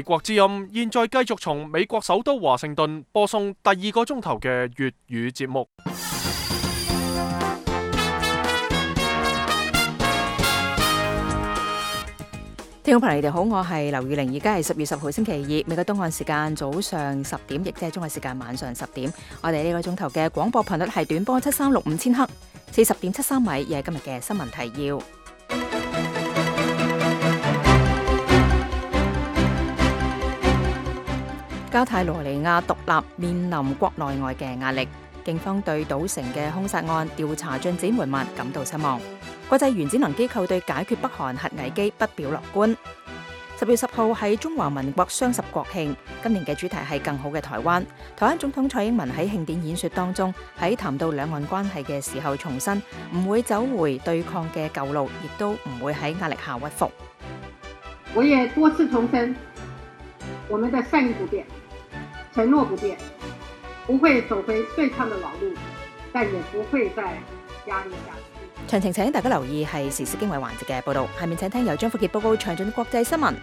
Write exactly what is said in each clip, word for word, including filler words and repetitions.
美國之音現在繼續從美國首都華盛頓播送第二個鐘頭嘅粵語節目。聽眾朋友，你哋好，我係劉宇玲，而家係十月十號星期二，美國東岸時間早上十點，亦即係中國時間晚上十點。我哋呢個鐘頭嘅廣播頻率係短波七三六五千赫，四十點七三米，亦係今日嘅新聞提要。加泰羅尼亞獨立面臨國內外嘅壓力，警方對賭城嘅兇殺案調查進展緩慢感到失望。國際原子能機構對解決北韓核危機不表樂觀。十月十號係中華民國雙十國慶，今年嘅主題係更好嘅台灣。台灣總統蔡英文喺慶典演說當中，喺談到兩岸關係嘅時候重申，唔會走回對抗嘅舊路，亦都唔會喺壓力下屈服。我也多次重申，我們的善意不變，承諾不變，不會走回對抗的老路，但也不會在壓力下。詳情請大家留意係時事經緯環節嘅報道。下面請聽由張福傑報告詳盡國際新聞。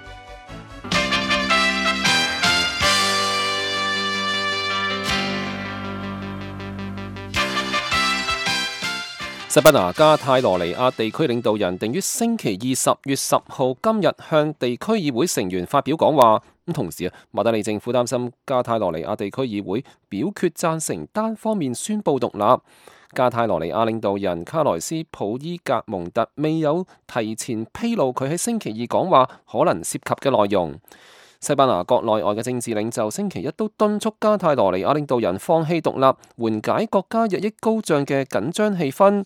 西班牙加泰羅尼亞地區領導人定於星期二十月十號今日向地區議會成員發表講話。咁同時啊，馬德里政府擔心加泰羅尼亞地區議會表決贊成單方面宣布獨立。加泰羅尼亞領導人卡萊斯普伊格蒙特未有提前披露佢喺星期二講話可能涉及嘅內容。西班牙國內外嘅政治領袖星期一都敦促加泰羅尼亞領導人放棄獨立，緩解國家日益高漲嘅緊張氣氛。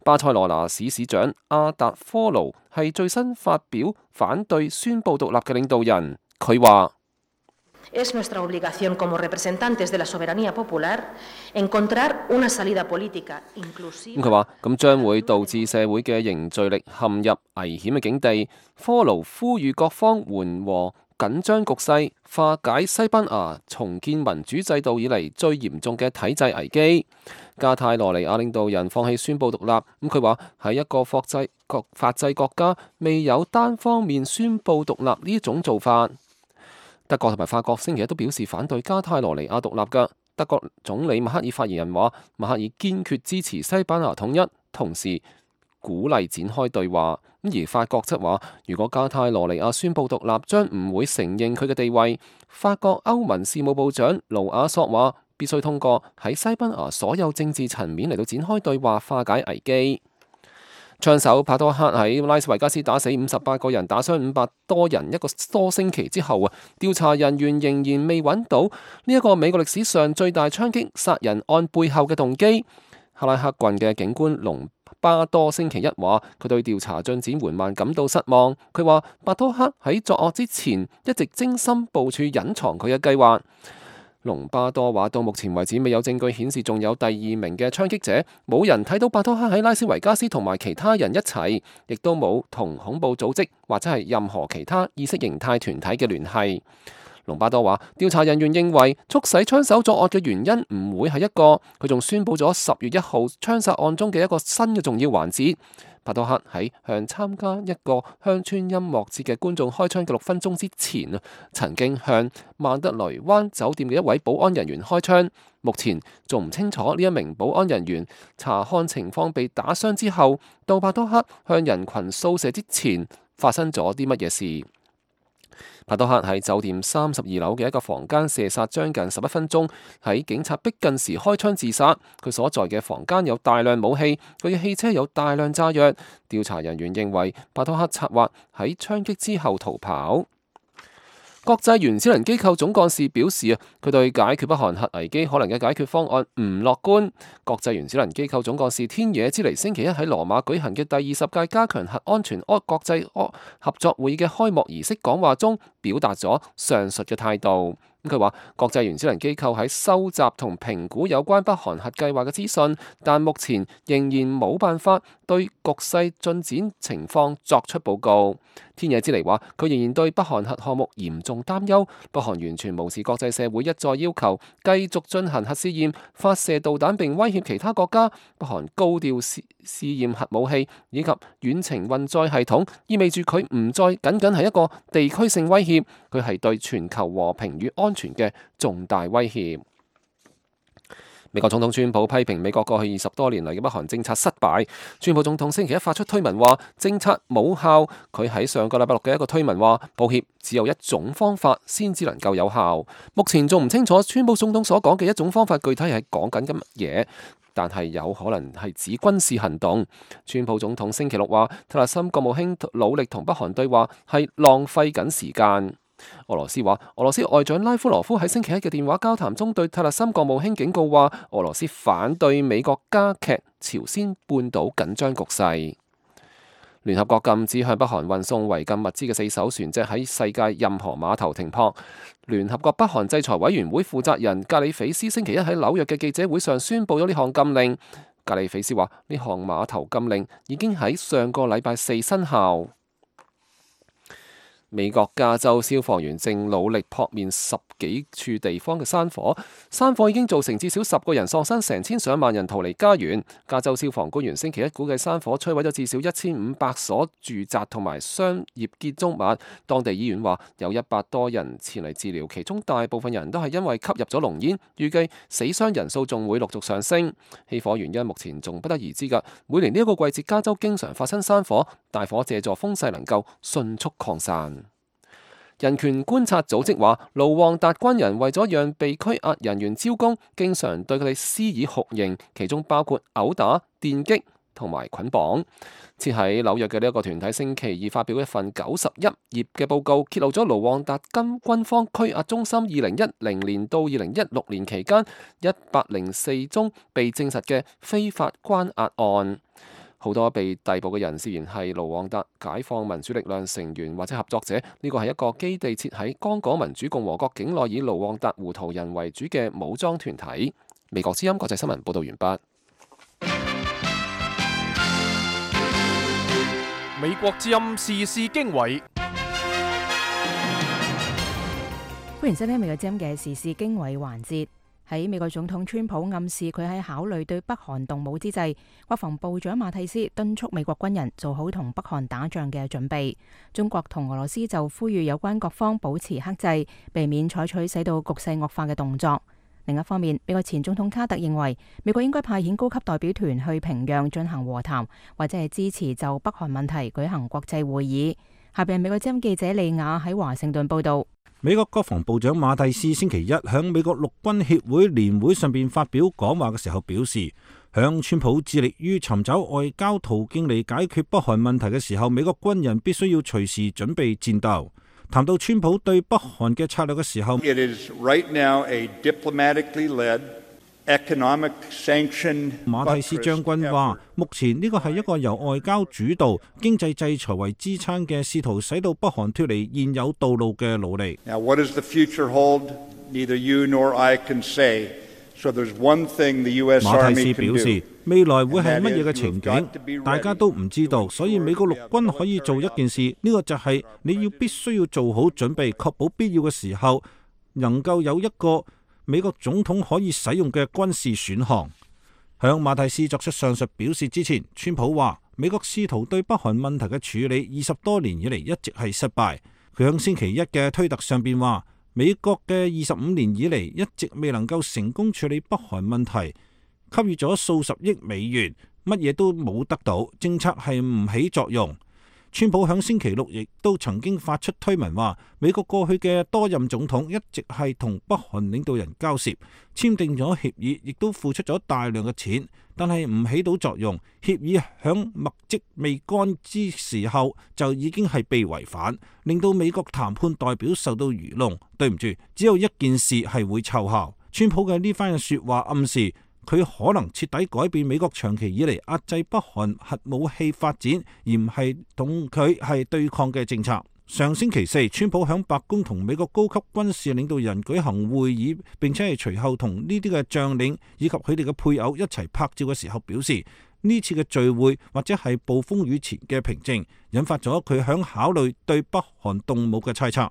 巴塞羅那市市長阿達科盧係最新發表反對宣布獨立嘅領導人，佢話：Es nuestra obligación como representantes de la soberanía popular encontrar una salida política inclusiva。佢話咁將會導致社會嘅凝聚力陷入危險嘅境地。科盧呼籲各方緩和緊張局勢，化解西班牙重建民主制度以嚟最嚴重嘅體制危機。加泰羅尼亞領導人放棄宣布獨立，咁佢話喺一個法制國法制國家未有單方面宣布獨立呢種做法。德國同埋法國星期一都表示反對加泰羅尼亞獨立嘅。德國總理默克爾發言人話，默克爾堅決支持西班牙統一，同時鼓勵展開對話。而法國則話，如果加泰羅尼亞宣布獨立，將唔會承認佢嘅地位。法國歐盟事務部長盧亞索話，必須通過喺西班牙所有政治層面嚟到展開對話，化解危機。槍手帕多克喺拉斯維加斯打死五十八個人，打傷五百多人，一個多星期之後啊，調查人員仍然未揾到呢一個美國歷史上最大槍擊殺人案背後嘅動機。克拉克郡嘅警官隆巴多星期一話，佢對調查進展緩慢感到失望。佢話帕多克喺作惡之前一直精心部署隱藏佢嘅計劃。隆巴多話，到目前為止未有證據顯示仲有第二名嘅槍擊者，冇人睇到帕多克喺拉斯維加斯同埋其他人一齊，亦都冇同恐怖組織或者係任何其他意識形態團體嘅聯繫。隆巴多話，調查人員認為促使槍手作惡嘅原因唔會係一個。佢仲宣佈咗十月一號槍殺案中嘅一個新嘅重要環節。帕多克喺向參加一個鄉村音樂節嘅觀眾開槍嘅六分鐘之前啊，曾經向曼德雷灣酒店嘅一位保安人員開槍。目前仲唔清楚呢一名保安人員查看情況被打傷之後，到帕多克向人群掃射之前發生咗啲乜嘢事。帕多克喺酒店三十二樓嘅一個房間射殺將近十一分鐘，喺警察逼近時開槍自殺。佢所在嘅房間有大量武器，佢嘅汽車有大量炸藥。調查人員認為帕多克策劃喺槍擊之後逃跑。國際原子能機構總幹事表示啊，佢對解決北韓核危機可能嘅解決方案唔樂觀。國際原子能機構總幹事天野之尼星期一喺羅馬舉行嘅第二十屆加強核安全國際合作會議嘅開幕儀式講話中，表達咗上述嘅態度。佢話國際原子能機構喺收集同評估有關北韓核計劃嘅資訊，但目前仍然冇辦法對局勢進展情況作出報告。天野之彌話，佢仍然對北韓核項目嚴重擔憂，北韓完全無視國際社會一再要求繼續進行核試驗、發射導彈並威脅其他國家。北韓高調試試驗核武器以及遠程運載系統，意味住佢唔再僅僅係一個地區性威脅，佢係對全球和平與安全嘅重大威脅。美國總統川普批評美國過去二十多年嚟嘅北韓政策失敗。川普總統星期一發出推文話政策冇效。佢喺上個禮拜六嘅一個推文話，抱歉，只有一種方法先至能夠有效。目前仲唔清楚川普總統所講嘅一種方法具體係講緊乜嘢，但係有可能係指軍事行動。川普總統星期六話，特勒森國務卿努力同北韓對話係浪費緊時間。俄羅斯話，俄羅斯外長拉夫羅夫喺星期一嘅電話交談中對特勒森國務卿警告話，俄羅斯反對美國加劇朝鮮半島緊張局勢。聯合國禁止向北韓運送違禁物資嘅四艘船隻喺世界任何碼頭停泊。聯合國北韓制裁委員會負責人格里菲斯星期一喺紐約嘅記者會上宣布咗呢項禁令。格里菲斯話，呢項碼頭禁令已經喺上個禮拜四生效。美國加州消防員正努力撲滅十幾處地方嘅山火，山火已經造成至少十個人喪生，成千上萬人逃離家園。加州消防官員星期一估計山火摧毀咗至少一千五百所住宅同埋商業建築物。當地醫院話有一百多人前嚟治療，其中大部分人都係因為吸入咗濃煙，預計死傷人數仲會陸續上升。起火原因目前仲不得而知㗎。每年呢一個季節，加州經常發生山火，大火借助風勢能夠迅速擴散。人權觀察組織話，盧旺達軍人為咗讓被拘押人員招供，經常對佢哋施以酷刑，其中包括毆打、電擊同埋捆綁。設喺紐約嘅呢一個團體星期二發表一份九十一頁嘅報告，揭露咗盧旺達軍軍方拘押中心二零一零年到二零一六年期間一百零四宗被證實嘅非法關押案。好多被逮捕嘅人士然係盧旺達解放民主力量成員或者合作者。呢個係一個基地設喺剛果民主共和國境內，以盧旺達胡圖人為主嘅武裝團體。美國之音國際新聞報道完畢。美國之音時事經緯，歡迎收聽美國之音嘅時事經緯環節。喺美國總統川普暗示佢喺考慮對北韓動武之際，國防部長馬蒂斯敦促美國軍人做好同北韓打仗嘅準備。中國同俄羅斯就呼籲有關各方保持克制，避免採取使到局勢惡化嘅動作。另一方面，美國前總統卡特認為美國應該派遣高級代表團去平壤進行和談，或者係支持就北韓問題舉行國際會議。下邊美國之音記者利亞喺華盛頓報道。美國國防部長馬蒂斯星期一響美國陸軍協會年會上邊發表講話嘅時候表示，響川普致力於尋找外交途徑嚟解決北韓問題嘅時候，美國軍人必須要隨時準備戰鬥。談到川普對北韓嘅策略嘅時候， It is right now a diplomatically led economic sanction。馬蒂斯將軍話，目前呢個係一個由外交主導、經濟制裁為支撐嘅試圖使到北韓脫離現有道路嘅努力。Now, what does the future hold? Neither you nor I can say. So there's one thing the U S 馬蒂 Army 斯 can 表示， do. 未來會係乜嘢嘅情景，大家都唔知道，所以美國陸軍可以做一件事，呢個就係你要必須要做好準備，確保必要嘅時候能夠有一個美國總統可以使用嘅軍事選項。向馬蒂斯作出上述表示之前，川普話美國試圖對北韓問題嘅處理二十多年以嚟一直係失敗。佢響星期一嘅推特上邊話，美國嘅二十五年以嚟一直未能夠成功處理北韓問題，給予咗數十億美元，乜嘢都冇得到，政策係唔起作用。川普響星期六亦都曾經發出推文話，美國過去嘅多任總統一直係同北韓領導人交涉，簽訂咗協議，亦都付出咗大量嘅錢，但係唔起到作用。協議響墨跡未乾之時候就已經係被違反，令到美國談判代表受到愚弄。對唔住，只有一件事係會奏效。川普嘅呢番嘅說話暗示，佢可能徹底改變美國長期以嚟壓制北韓核武器發展，而唔係同佢係對抗嘅政策。上星期四，川普響白宮同美國高級軍事領導人舉行會議，並且係隨後同呢啲嘅將領以及佢哋嘅配偶一齊拍照嘅時候表示，呢次嘅聚會或者係暴風雨前嘅平靜，引發咗佢響考慮對北韓動武嘅猜測。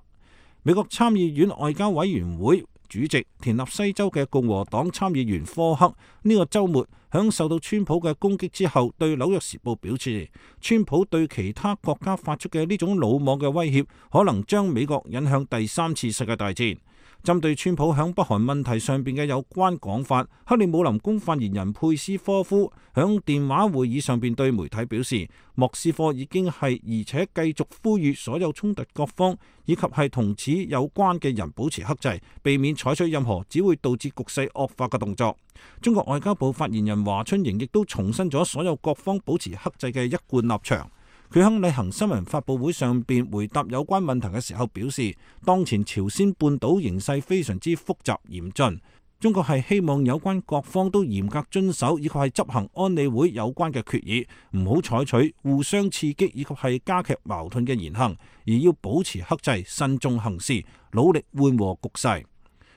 美國參議院外交委員會主席田納西州嘅共和黨參議員科克呢個週末響受到川普嘅攻擊之後，對紐約時報表示，川普對其他國家發出嘅呢種魯莽嘅威脅，可能將美國引向第三次世界大戰。針對川普響北韓問題上邊嘅有關講法，克里姆林宮發言人佩斯科夫響電話會議上邊對媒體表示，莫斯科已經係而且繼續呼籲所有衝突各方以及係同此有關嘅人保持克制，避免採取任何只會導致局勢惡化嘅動作。中國外交部發言人華春瑩亦都重申咗所有各方保持克制嘅一貫立場。佢喺例行新聞發佈會上邊回答有關問題嘅時候表示，當前朝鮮半島形勢非常之複雜嚴峻，中國係希望有關各方都嚴格遵守以及係執行安理會有關嘅決議，唔好採取互相刺激以及係加劇矛盾嘅言行，而要保持克制、慎重行事，努力緩和局勢。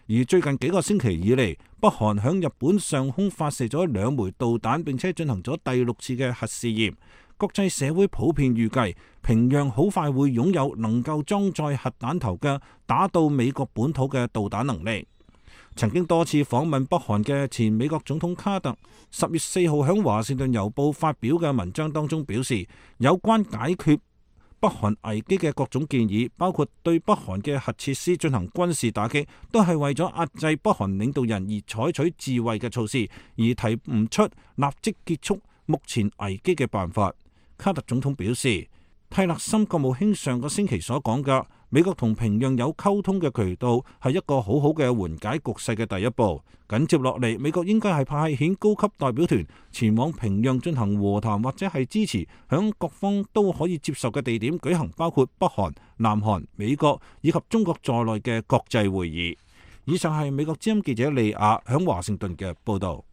而最近幾個星期以嚟，北韓響日本上空發射咗兩枚導彈，並且進行咗第六次嘅核試驗。國際社會普遍預計，平壤好快會擁有能夠裝載核彈頭嘅打到美國本土嘅導彈能力。曾經多次訪問北韓嘅前美國總統卡特，十月四號響華盛頓郵報發表嘅文章當中表示，有關解決北韓危機嘅各種建議，包括對北韓嘅核設施進行軍事打擊，都係為咗壓制北韓領導人而採取自衛嘅措施，而提唔出立即結束目前危機嘅辦法。卡特總統表示，蒂勒森國務卿上個星期所講嘅美國同平壤有溝通嘅渠道係一個好好嘅緩解局勢嘅第一步。緊接落嚟，美國應該係派遣高級代表團前往平壤進行和談，或者係支持響各方都可以接受嘅地點舉行包括北韓、南韓、美國以及中國在內嘅國際會議。以上係美國之音記者利亞響華盛頓嘅報導。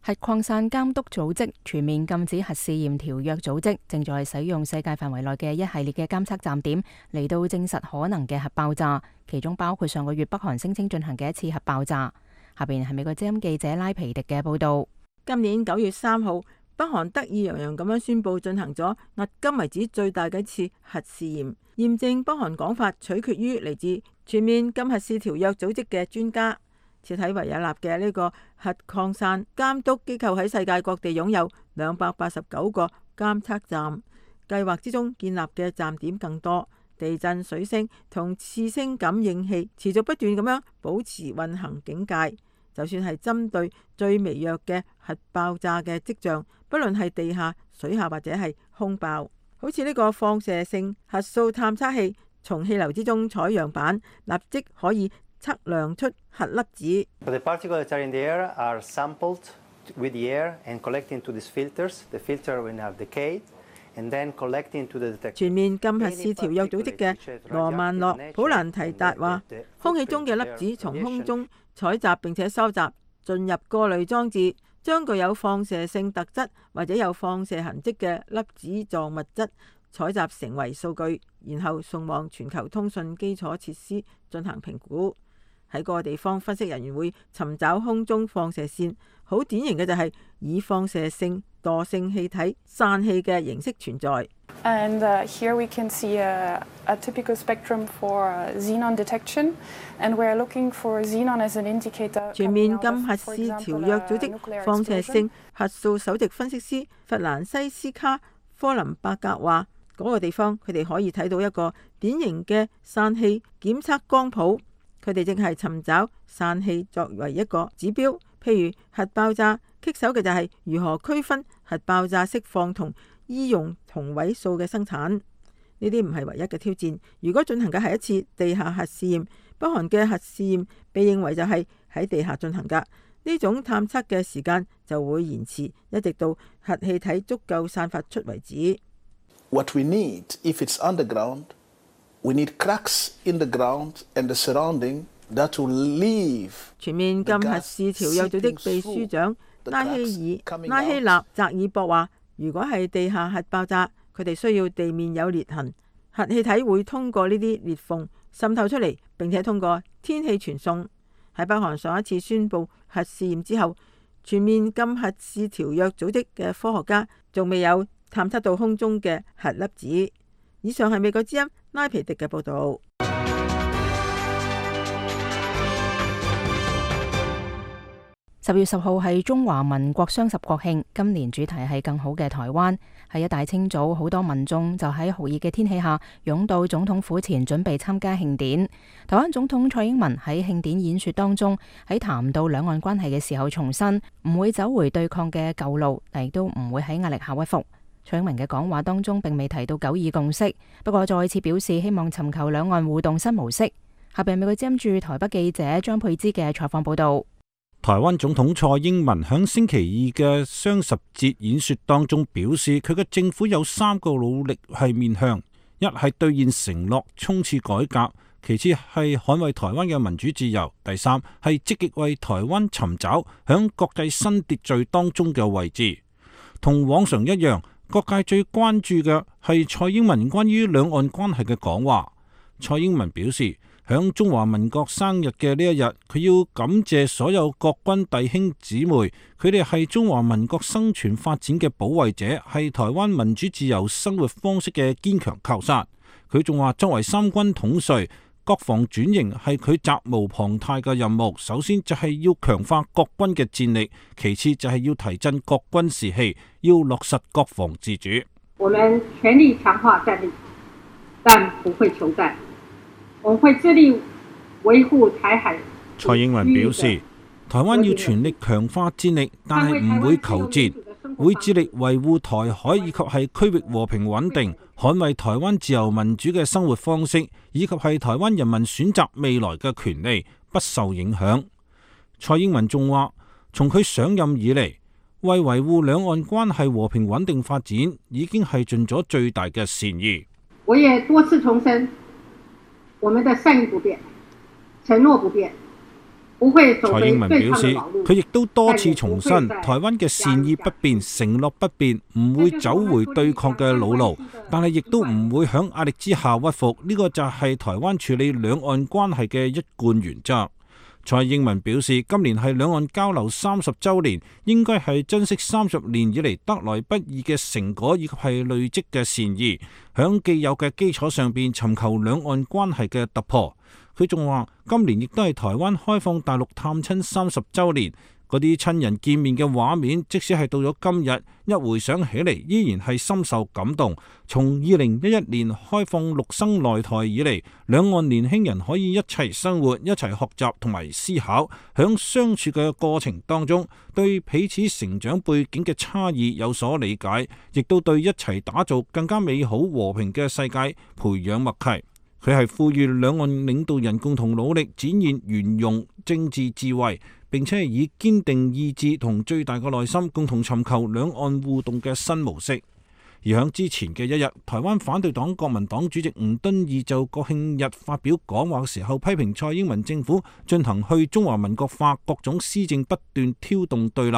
核擴散監督組織全面禁止核試驗條約組織正在使用世界範圍內嘅一系列嘅監測站點嚟到證實可能嘅核爆炸，其中包括上個月北韓聲稱進行嘅一次核爆炸。下邊係美國之音記者拉皮迪嘅報道。今年九月三號，北韓得意洋洋咁樣宣布進行咗迄今為止最大嘅一次核試驗，驗證北韓講法取決於嚟自全面禁核試條約組織嘅專家。設喺維也納嘅呢個核擴散監督機構喺世界各地擁有兩百八十九個監測站，計劃之中建立嘅站點更多。地震、水聲同次聲感應器持續不斷咁樣保持運行警戒，就算係針對最微弱嘅核爆炸嘅跡象，不論係地下、水下或者係空爆，好似呢個放射性核素探測器從氣流之中採樣板，立即可以測量出核粒子。全面禁核試條約組織嘅羅曼諾普蘭提達話，空氣中嘅粒子從空中採集並且收集，進入過濾裝置，將具有放射性特質或者有放射痕跡嘅粒子狀物質採集成為數據，然後送往全球通訊基礎設施進行評估。喺個地方，分析人員會尋找空中放射線，好典型嘅就係以放射性惰性氣體散氣嘅形式存在。And, uh, here we can see a, a typical spectrum for xenon detection, and we're looking for xenon as an indicator. 全面禁核試條約組織放射性核素首席分析師弗蘭西斯卡科林伯格話，嗰、那個地方佢哋可以睇到一個典型嘅散氣檢測光譜。佢哋正係尋找散氣作為一個指標，譬如核爆炸棘手嘅就係如何區分核爆炸釋放同醫用同位素嘅生產。呢啲唔係唯一嘅挑戰。如果進行嘅係一次地下核試驗，北韓嘅核試驗被認為就係喺地下進行㗎，呢種探測嘅時間就會延遲，一直到核氣體足夠散發出為止。What we need, if it's underground, we need cracks in the ground and the surrounding that will leave。全面禁核試條約組織秘書長拉希爾拉希納扎爾博話，如果係地下核爆炸，佢哋需要地面有裂痕，核氣體會通過呢啲裂縫滲透出嚟，並且通過天氣傳送。喺北韓上一次宣布核試驗之後，全面禁核試條約組織嘅科學家仲未有探測到空中嘅核粒子。以上係美國之音拉皮迪嘅報導。十月十號係中華民國雙十國慶，今年主題係更好嘅台灣。喺一大清早，好多民眾就喺酷熱嘅天氣下湧到總統府前準備參加慶典。台灣總統蔡英文喺慶典演說當中，喺談到兩岸關係嘅時候重申，唔會走回對抗嘅舊路，但亦都唔會喺壓力下屈服。蔡英文嘅講話當中並未提到九二共識，不過再次表示希望尋求兩岸互動新模式。下邊美國之音駐台北記者張佩芝嘅採訪報道。台灣總統蔡英文響星期二嘅雙十節演說當中表示，佢嘅政府有三個努力係面向：一係兌現承諾，衝刺改革；其次係捍衛台灣嘅民主自由；第三係積極為台灣尋找響國際新秩序當中嘅位置。同往常一樣，各界最關注嘅係蔡英文關於兩岸關係嘅講話。蔡英文表示，響中華民國生日嘅呢一日，佢要感謝所有國軍弟兄姊妹，佢哋係中華民國生存發展嘅保衛者，係台灣民主自由生活方式嘅堅強靠山。佢仲話，作為三軍統帥，國防轉型係佢責無旁貸嘅任務。首先就係要強化國軍嘅戰力，其次就係要提振國軍士氣，要落實國防自主。我們全力強化戰力，但不會求戰。我會致力維護台海。蔡英文表示，台灣要全力強化戰力，但係唔會求戰，會致力維護台海以及係區域和平穩定，捍衛台灣自由民主嘅生活方式，以及係台灣人民選擇未來嘅權利，不受影響。蔡英文仲話，從佢上任以嚟，為維護兩岸關係和平穩定發展，已經係盡咗最大嘅善意。我也多次重申，我們的善意不變，承諾不變，不會走回對抗的老路。佢亦都多次重申，台灣嘅善意不變，承諾不變，唔會走回對抗嘅老路，但係亦都唔會響壓力之下屈服。呢個就係台灣處理兩岸關係嘅一貫原則。蔡英文表示，今年係兩岸交流三十週年，應該係珍惜三十年以嚟得來不易嘅成果，以及係累積嘅善意，響既有嘅基礎上邊尋求兩岸關係嘅突破。佢仲話，今年亦都係台灣開放大陸探親三十週年。嗰啲親人見面嘅畫面，即使係到咗今日，一回想起嚟，依然係深受感動。從二零一一年開放陸生來台以嚟，兩岸年輕人可以一齊生活、一齊學習同埋思考，響相處嘅過程當中，對彼此成長背景嘅差異有所理解，亦都對一齊打造更加美好和平嘅世界培養默契。佢係呼籲兩岸領導人共同努力，展現圓融政治智慧，並且係以堅定意志同最大嘅耐心，共同尋求兩岸互動嘅新模式。而響之前嘅一日，台灣反對黨國民黨主席吳敦義就國慶日發表講話嘅時候，批評蔡英文政府進行去中華民國化，各種施政不斷挑動對立，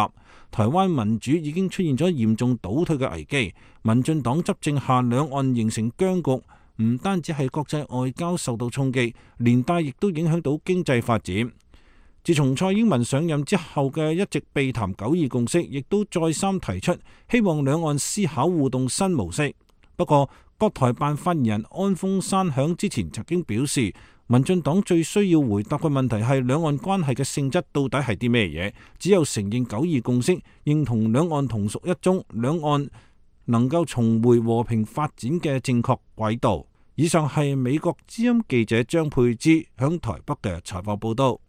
台灣民主已經出現咗嚴重倒退嘅危機。民進黨執政下，兩岸形成僵局。唔單止係國際外交受到衝擊，連帶亦都影響到經濟發展。自從蔡英文上任之後嘅一直避談九二共識，亦都再三提出希望兩岸思考互動新模式。不過，國台辦發言人安峰山響之前曾經表示，民進黨最需要回答嘅問題係兩岸關係嘅性質到底係啲咩嘢？只有承認九二共識，認同兩岸同屬一中，兩岸能夠重回和平發展嘅正確軌道。以上係美國之音記者張佩芝響台北嘅採訪報道。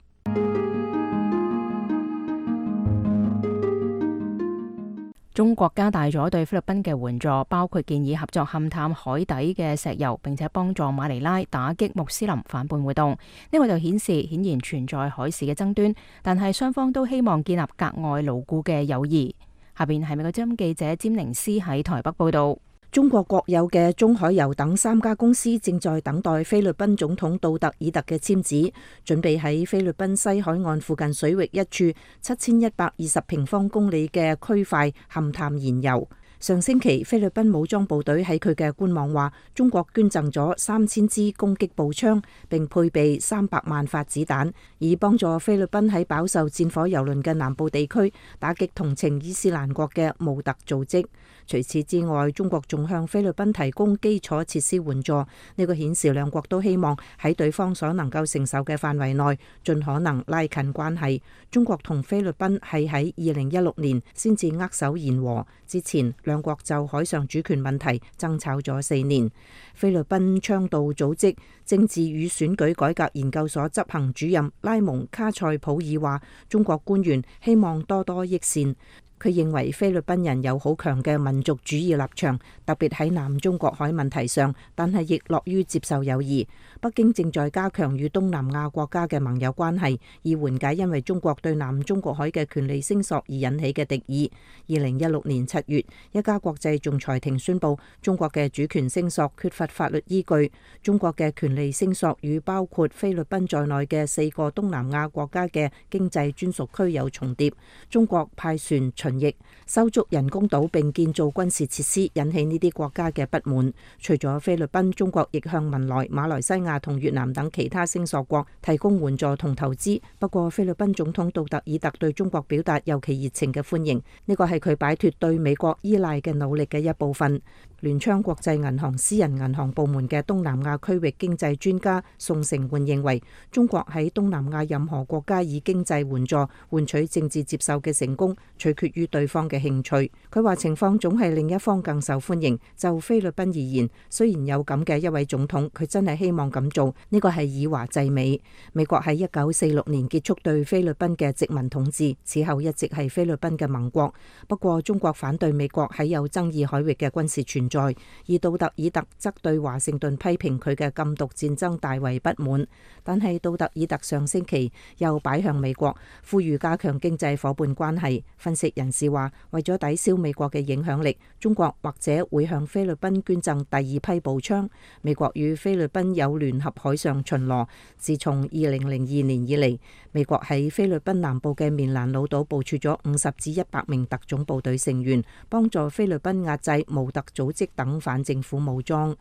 中國加大咗對菲律賓嘅援助，包括建議合作勘探海底嘅石油，並且幫助馬尼拉打擊穆斯林反叛活動。呢個就顯示顯然存在海事嘅爭端，但係雙方都希望建立格外牢固嘅友誼。下邊係美國之音記者詹寧斯喺台北報道。中國國有嘅中海油等三家公司正在等待菲律賓總統杜特爾特嘅簽字，準備喺菲律賓西海岸附近水域一處七千一百二十平方公里嘅區塊勘探燃油。上星期，菲律賓武裝部隊喺佢嘅官網話，中國捐贈咗三千支攻擊步槍，並配備三百萬發子彈，以幫助菲律賓喺飽受戰火蹂躪嘅南部地區打擊同情伊斯蘭國嘅穆特組織。除此之外，中國仲向菲律賓提供基礎設施援助。呢個顯示兩國都希望喺對方所能夠承受嘅範圍內，盡可能拉近關係。中國同菲律賓係喺二零一六年先至握手言和，之前兩國就海上主權問題爭吵咗四年。菲律賓倡導組織政治與選舉改革研究所執行主任拉蒙卡塞普爾話，中國官員希望多多益善。佢認為菲律賓人有好強嘅民族主義立場，特別喺南中國海問題上，但係亦樂於接受友誼。北京正在加強與東南亞國家嘅盟友關係，以緩解因為中國對南中國海嘅權利聲索而引起嘅敵意。二零一六年七月，一家國際仲裁庭宣布，中國嘅主權聲索缺乏法律依據。中國嘅權利聲索與包括菲律賓在內嘅四個東南亞國家嘅經濟專屬區有重疊。中國派船巡役、修築人工島並建造軍事設施，引起呢啲國家嘅不滿。除咗菲律賓，中國亦向文萊、馬來西亞同越南等其他聲索國提供援助同投資。不過，菲律賓總統杜特爾特對中國表達尤其熱情嘅歡迎，呢個係佢擺脫對美國依賴嘅努力嘅一部分。聯昌國際銀行私人銀行部門嘅東南亞區域經濟專家宋成煥認為，中國喺東南亞任何國家以經濟援助換取政治接受嘅成功，取決於對方嘅興趣。佢話情況總係另一方更受歡迎。就菲律賓而言，雖然有咁嘅一位總統，佢真係希望咁做，呢個係以華制美。美國喺一九四六年結束對菲律賓嘅殖民統治，此後一直係菲律賓嘅盟國。不過中國反對美國喺有爭議海域嘅軍事存在，而杜特爾特則對華盛頓批評佢嘅禁毒戰爭大為不滿。但係杜特爾特上星期又擺向美國，呼籲加強經濟夥伴關係。分析人士話，為咗抵消美國嘅影響力，中國或者會向菲律賓捐贈第二批步槍。美國與菲律賓有聯合海上巡邏，自從二零零二年以嚟，美國喺菲律賓南部嘅棉蘭老島部署咗五十至一百名特種部隊成員，幫助菲律賓壓制毛特組織等反政府武裝。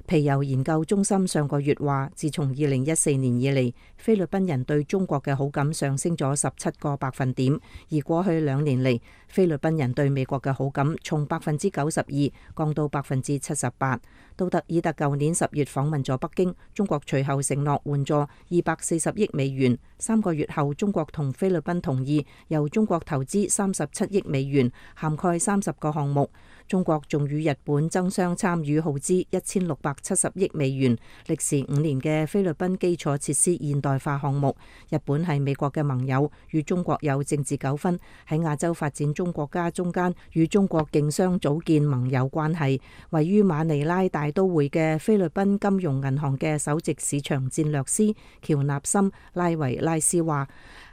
皮尤研究中心上個月話，自從二零一四年以嚟，菲律賓人對中國嘅好感上升咗十七個百分點，而過去兩年嚟，菲律賓人對美國嘅好感從百分之九十二降到百分之七十八。杜特爾特舊年十月訪問咗北京，中國隨後承諾援助二百四十億美元。三個月後，中國同菲律賓同意由中國投資三十七億美元，涵蓋三十個項目。中國仲與日本爭相參與耗資一千六百七十億美元、歷時五年嘅菲律賓基礎設施現代化項目。日本係美國嘅盟友，與中國有政治糾紛，喺亞洲發展中國家中間與中國競相組建盟友關係。位於馬尼拉大都會嘅菲律賓金融銀行嘅首席市場戰略師喬納森拉維拉斯話，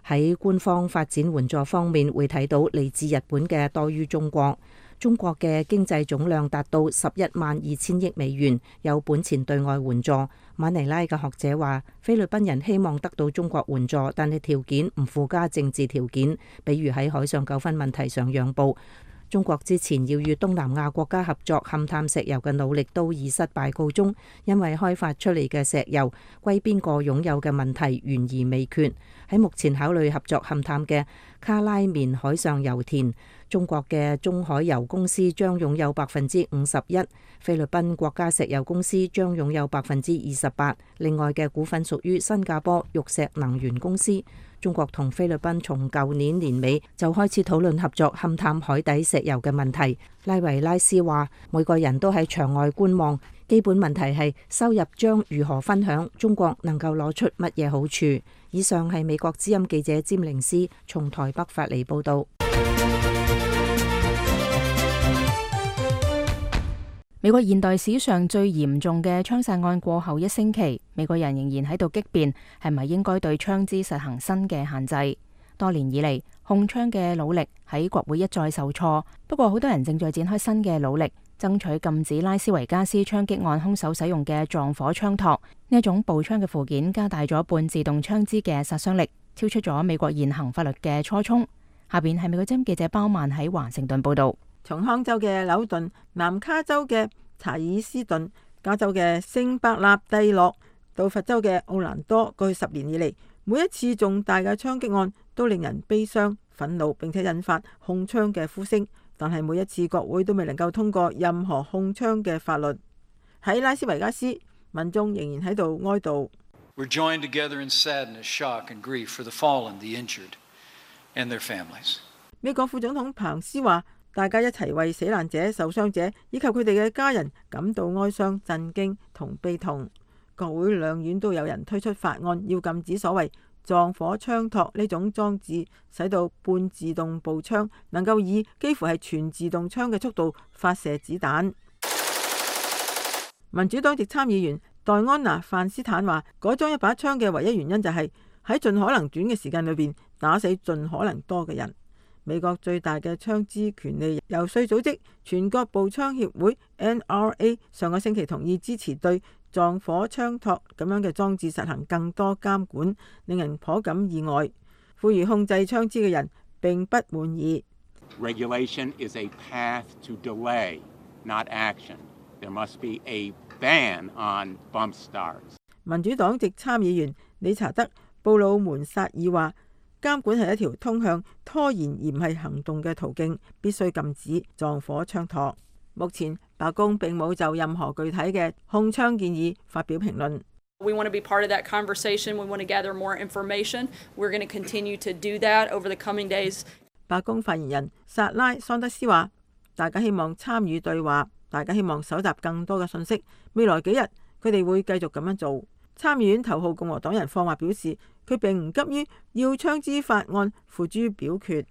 喺官方發展援助方面會睇到嚟自日本嘅多於中國。中國嘅經濟總量達到十一萬二千億美元，有本錢對外援助。馬尼拉嘅學者話，菲律賓人希望得到中國援助，但係條件唔附加政治條件，比如喺海上糾紛問題上讓步。中國之前要與東南亞國家合作勘探石油嘅努力都以失敗告終，因為開發出嚟嘅石油歸邊個擁有嘅問題懸而未決。喺目前考慮合作勘探嘅卡拉棉海上油田，中國嘅中海油公司將擁有百分之五十一，菲律賓國家石油公司將擁有百分之二十八，另外嘅股份屬於新加坡玉石能源公司。中國同菲律賓從舊年年尾就開始討論合作勘探海底石油嘅問題。拉維拉斯話，每個人都喺場外觀望，基本問題係收入將如何分享，中國能夠攞出乜嘢好處。以上係美國之音記者詹玲斯從台北發嚟報道。美國現代史上最嚴重嘅槍殺案過後一星期，美國人仍然喺度激辯，係咪應該對槍支實行新嘅限制？多年以嚟，控槍嘅努力喺國會一再受挫，不過好多人正在展開新嘅努力，爭取禁止拉斯維加斯槍擊案兇手使用嘅撞火槍托。呢一種步槍嘅附件加大咗半自動槍支嘅殺傷力，超出咗美國現行法律嘅初衷。下邊係美國之音記者包曼喺華盛頓報道。從康州嘅紐頓、南卡州嘅查爾斯頓、加州嘅聖伯納蒂諾到佛州嘅奧蘭多，過去十年以嚟，每一次重大嘅槍擊案都令人悲傷、憤怒，並且引發控槍嘅呼聲。但係每一次國會都未能夠通過任何控槍嘅法律。喺拉斯維加斯，民眾仍然喺度哀悼。We're joined together in sadness, shock and grief for the fallen, the injured, and their families. 美國副總統彭斯話：大家一齊為死難者、受傷者以及佢哋嘅家人感到哀傷、震驚同悲痛。國會兩院都有人推出法案，要禁止所謂撞火槍托呢種裝置，使到半自動步槍能夠以幾乎係全自動槍嘅速度發射子彈。民主黨籍參議員戴安娜·范斯坦話：改裝一把槍嘅唯一原因就係喺盡可能短嘅時間裏邊打死盡可能多嘅人。美國最大嘅槍支權利遊說組織全國步槍協會 N R A 上個星期同意支持對撞火槍托咁樣嘅裝置實行更多監管，令人頗感意外。呼籲控制槍支嘅人並不滿意。Regulation is a path to delay, not action. There must be a ban on bump stars. 民主黨籍參議員理查德·布魯門薩爾話：監管係一條通向拖延而唔係行動嘅途徑，必須禁止撞火槍托。目前白宮並冇就任何具體嘅控槍建議發表評論。We want to be part of that conversation. We want to gather more information. We're going to continue to do that over the coming days. 白宮發言人薩拉·桑德斯話：大家希望參與對話，大家希望搜集更多嘅信息。未來幾日佢哋會繼續咁樣做。參議院頭號共和黨人霍華表示，佢並唔急於要槍支法案付諸表決。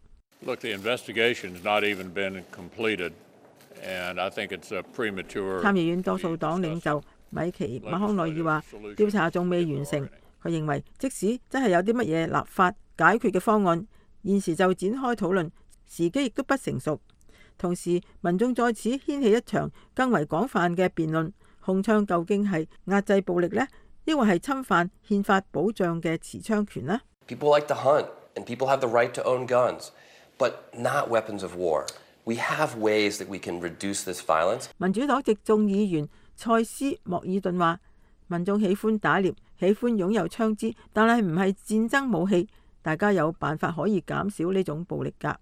Look, the investigation's not even been completed, and I think it's a premature. 參議院多數黨領袖米奇馬康內爾話：調查仲未完成。佢認為，即使真係有啲乜嘢立法解決嘅方案，現時就展開討論，時機亦都不成熟。同時，民眾在此掀起一場更為廣泛嘅辯論：控槍究竟係壓制暴力呢？抑或係侵犯憲法保障嘅持槍權呢？ People like to hunt, and people have the right to own guns, but not weapons of war. We have ways that we can reduce this violence. 民主黨籍眾議員塞斯莫爾頓話：民眾喜歡打獵，喜歡擁有槍支，但係唔係戰爭武器。大家有辦法可以減少呢種暴力㗎。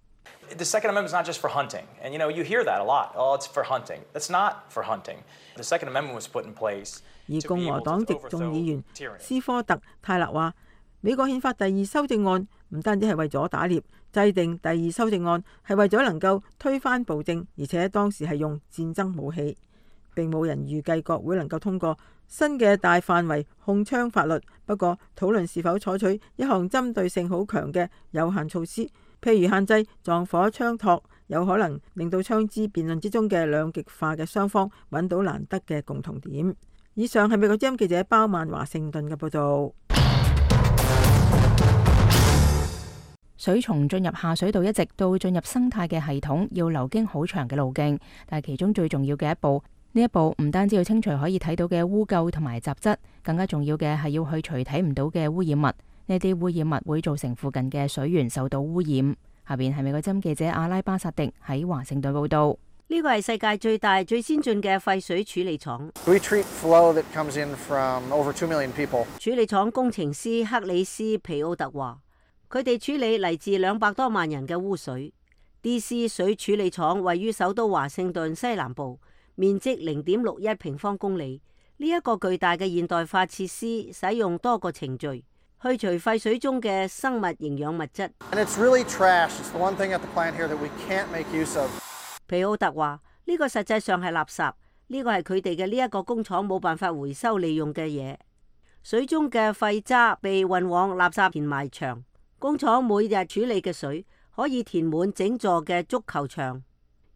The Second Amendment is not just for hunting, and you know you hear that a lot. Oh, it's for hunting. That's not for hunting. The Second Amendment was put in place. 而共和黨籍眾議員斯科特泰勒話：美國憲法第二修正案唔單止係為咗打獵，制定第二修正案係為咗能夠推翻暴政，而且當時係用戰爭武器。並冇人預計國會能夠通過新嘅大範圍控槍法律。不過討論是否採取一項針對性好強嘅有限措施，譬如限制撞火槍托，有可能令到槍支辯論之中嘅兩極化嘅雙方揾到難得嘅共同點。以上係美國之音記者包曼華盛頓嘅報導。水蟲進入下水道一直到進入生態嘅系統，要流經好長嘅路徑，但係其中最重要嘅一步，呢一步唔單止要清除可以睇到嘅污垢同埋雜質，更加重要嘅係要去除睇唔到嘅污染物。呢啲污染物會造成附近嘅水源受到污染。下邊係美國之音記者阿拉巴薩迪喺華盛頓報導。呢個係世界最大、最先進嘅廢水處理廠。We treat flow that comes in from over two million people. 處理廠工程師克里斯皮奧特話：佢哋處理嚟自兩百多萬人嘅污水。D C 水處理廠位於首都華盛頓西南部，面積零點六一平方公里。呢、這、一個巨大嘅現代化設施使用多個程序去除廢水中嘅生物營養物質。And it's really trash. It's the one thing at the plant here that we can't make use of. 皮奧特話：呢、這個實際上係垃圾，呢、這個係佢哋嘅呢一個工廠冇辦法回收利用嘅嘢。水中嘅廢渣被運往垃圾填埋場，工廠每日處理嘅水可以填滿整座嘅足球場。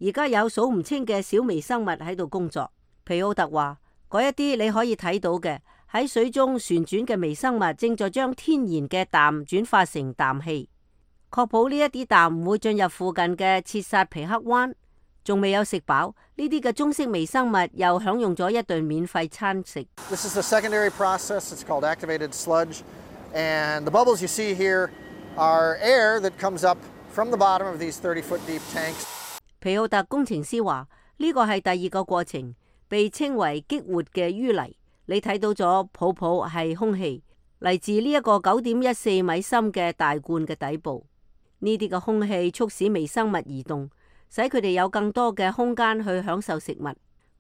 而家有數唔清嘅小微生物喺度工作。皮奧特話：嗰一啲你可以睇到嘅喺水中旋轉嘅微生物正在將天然嘅氮轉化成氮氣，確保呢一啲氮唔會進入附近嘅切薩皮克灣。仲未有食飽，呢啲嘅中式微生物又享用咗一頓免費餐食。This is the secondary process. It's called activated sludge, and the bubbles you see here are air that comes up from the bottom of these thirty foot deep tanks. 皮奧特工程師話：呢個係第二個過程，被稱為激活嘅淤泥。你睇到咗泡泡係空氣，嚟自呢一個九點一四米深嘅大罐嘅底部。呢啲嘅空氣促使微生物移動，使佢哋有更多嘅空間去享受食物。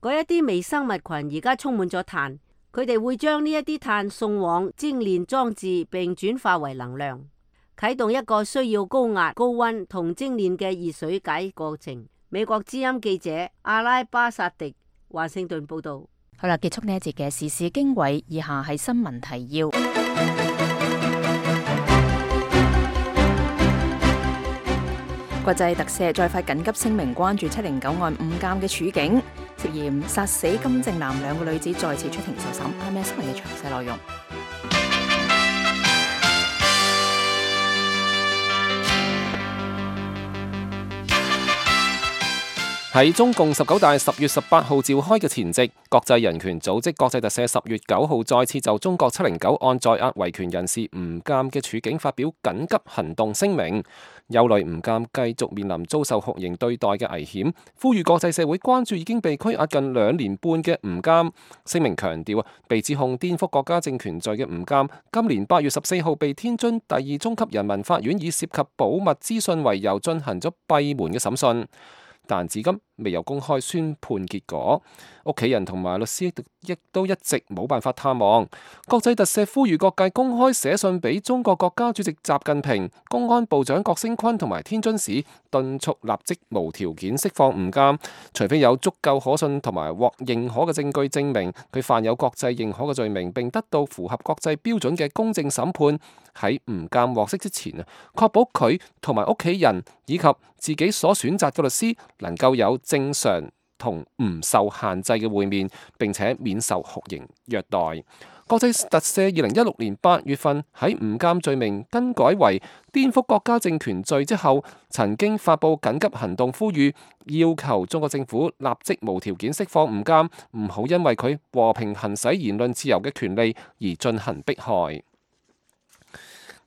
嗰一啲微生物群而家充滿咗碳，佢哋會將呢一啲碳送往精煉裝置，並轉化為能量，啟動一個需要高壓、高溫同精煉嘅熱水解過程。美國之音記者阿拉巴薩迪華盛頓報道。好啦，結束呢一節嘅時事經緯，以下係新聞提要。國際特赦再發緊急聲明，關注七零九案誤監嘅處境，涉嫌殺死金正男兩個女子再次出庭受審。係咩新聞嘅詳細內容？喺中共十九大十月十八號召開嘅前夕，國際人權組織國際特赦十月九號再次就中國七零九案在押維權人士吳鑑嘅處境發表緊急行動聲明，憂慮吳鑑繼續面臨遭受酷刑對待嘅危險，呼籲國際社會關注已經被拘押近兩年半嘅吳鑑。聲明強調啊，被指控顛覆國家政權罪嘅吳鑑，今年八月十四號被天津第二中級人民法院以涉及保密資訊為由進行咗閉門嘅審訊。但至今未有公開宣判結果，屋企人同埋律師亦都一直冇辦法探望。國際特赦呼籲各界公開寫信俾中國國家主席習近平、公安部長郭聲琨同埋天津市，敦促立即無條件釋放吳鑑，除非有足夠可信同埋獲認可嘅證據證明佢犯有國際認可嘅罪名，並得到符合國際標準嘅公正審判。喺吳鑑獲釋之前啊，確保佢同埋屋企人以及自己所選擇嘅律師能夠有正常同唔受限制嘅會面，並且免受酷刑虐待。國際特赦二零一六年八月份喺吳鑑罪名更改為顛覆國家政權罪之後，曾經發布緊急行動，呼籲要求中國政府立即無條件釋放吳鑑，唔好因為佢和平行使言論自由嘅權利而進行迫害。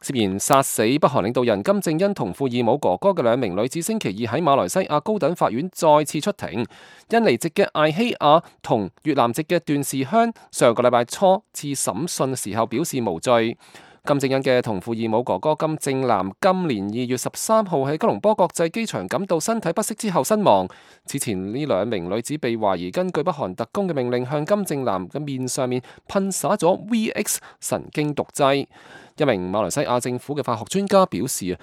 涉嫌殺死北韓領導人金正恩同父異母哥哥嘅兩名女子，星期二喺馬來西亞高等法院再次出庭。印尼籍嘅艾希亞同越南籍嘅段氏香上個禮拜初次審訊時候表示無罪。金正恩嘅同父異母哥哥金正男今年二月十三號喺吉隆坡國際機場感到身體不適之後身亡。此前呢兩名女子被懷疑根據北韓特工嘅命令向金正男嘅面上面噴灑咗 V X 神經毒劑。一名馬來西亞政府嘅化學專家表示啊，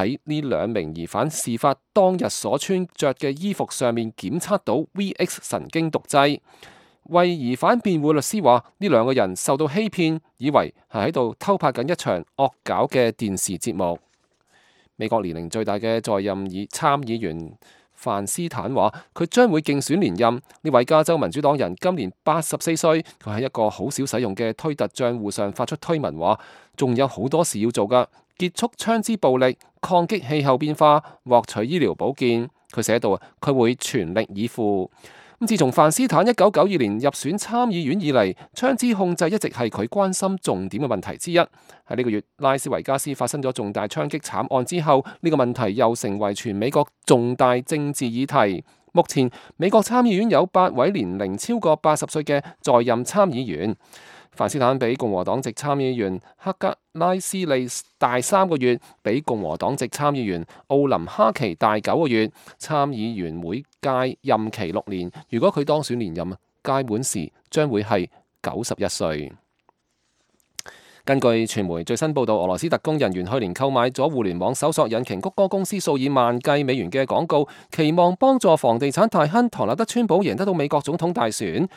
喺呢兩名疑犯事發當日所穿着嘅衣服上面檢測到 V X 神經毒劑。為疑犯辯護律師話，呢兩個人受到欺騙，以為係喺度偷拍緊一場惡搞嘅電視節目。美國年齡最大嘅在任議參議員范斯坦話，佢將會競選連任。呢位加州民主黨人今年八十四歲，佢喺一個好少使用嘅推特賬戶上發出推文話，仲有好多事要做㗎，結束槍支暴力、抗擊氣候變化、獲取醫療保健。佢寫到啊，佢會全力以赴。自從范斯坦一九九二年入選參議院以嚟，槍支控制一直係佢關心重點嘅問題之一。喺呢個月，拉斯維加斯發生咗重大槍擊慘案之後，呢個問題又成為全美國重大政治議題。目前，美國參議院有八位年齡超過八十歲嘅在任參議員。范斯坦比共和黨籍參議員克格拉斯利大三個月，比共和黨籍參議員奧林哈奇大九個月。參議員每屆任期六年，如果佢當選連任，屆滿時將會係九十一歲。根據傳媒最新報道，俄羅斯特工人員去年購買咗互聯網搜索引擎谷歌公司數以萬計美元嘅廣告，期望幫助房地產大亨唐納德川普贏得到美國總統大選。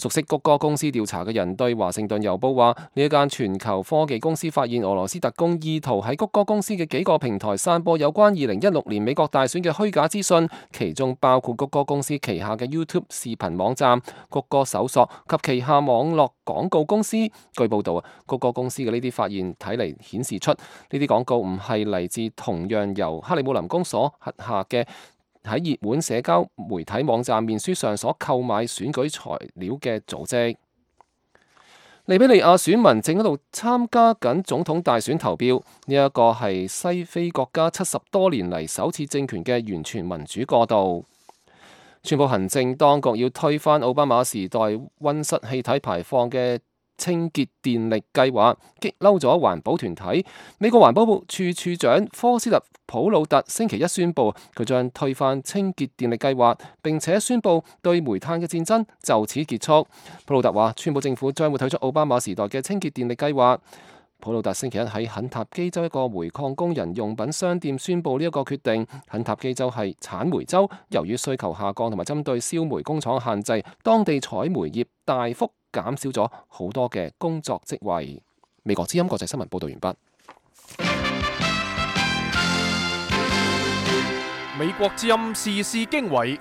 熟悉谷歌公司調查嘅人對華盛頓郵報話，呢一間全球科技公司發現俄羅斯特工意圖喺谷歌公司嘅幾個平台散播有關二零一六年美國大選嘅虛假資訊，其中包括谷歌公司旗下嘅 YouTube 視頻網站、谷歌搜索及旗下網絡廣告公司。據報道啊，谷歌公司嘅呢啲發現睇嚟顯示出呢啲廣告唔係嚟自同樣由克里姆林宮所轄下嘅喺熱門社交媒體網站面書上所購買選舉材料嘅組織。利比里亞選民正喺度參加緊總統大選投票，呢一個係西非國家七十多年嚟首次政權嘅完全民主過渡。川普行政當局要推翻奧巴馬時代溫室氣體排放嘅清潔電力計劃，激嬲咗環保團體。美國環保部處處長科斯特普魯特星期一宣布，佢將推翻清潔電力計劃，並且宣布對煤炭嘅戰爭就此結束。普魯特話，川普政府將會退出奧巴馬時代嘅清潔電力計劃。普魯特星期一喺肯塔基州一個煤礦工人用品商店宣布呢一個決定。肯塔基州係產煤州，由於需求下降同埋針對燒煤工廠限制，當地採煤業大幅減少咗好多嘅工作職位。美國之音國際新聞報道完畢。美國之音時事經緯，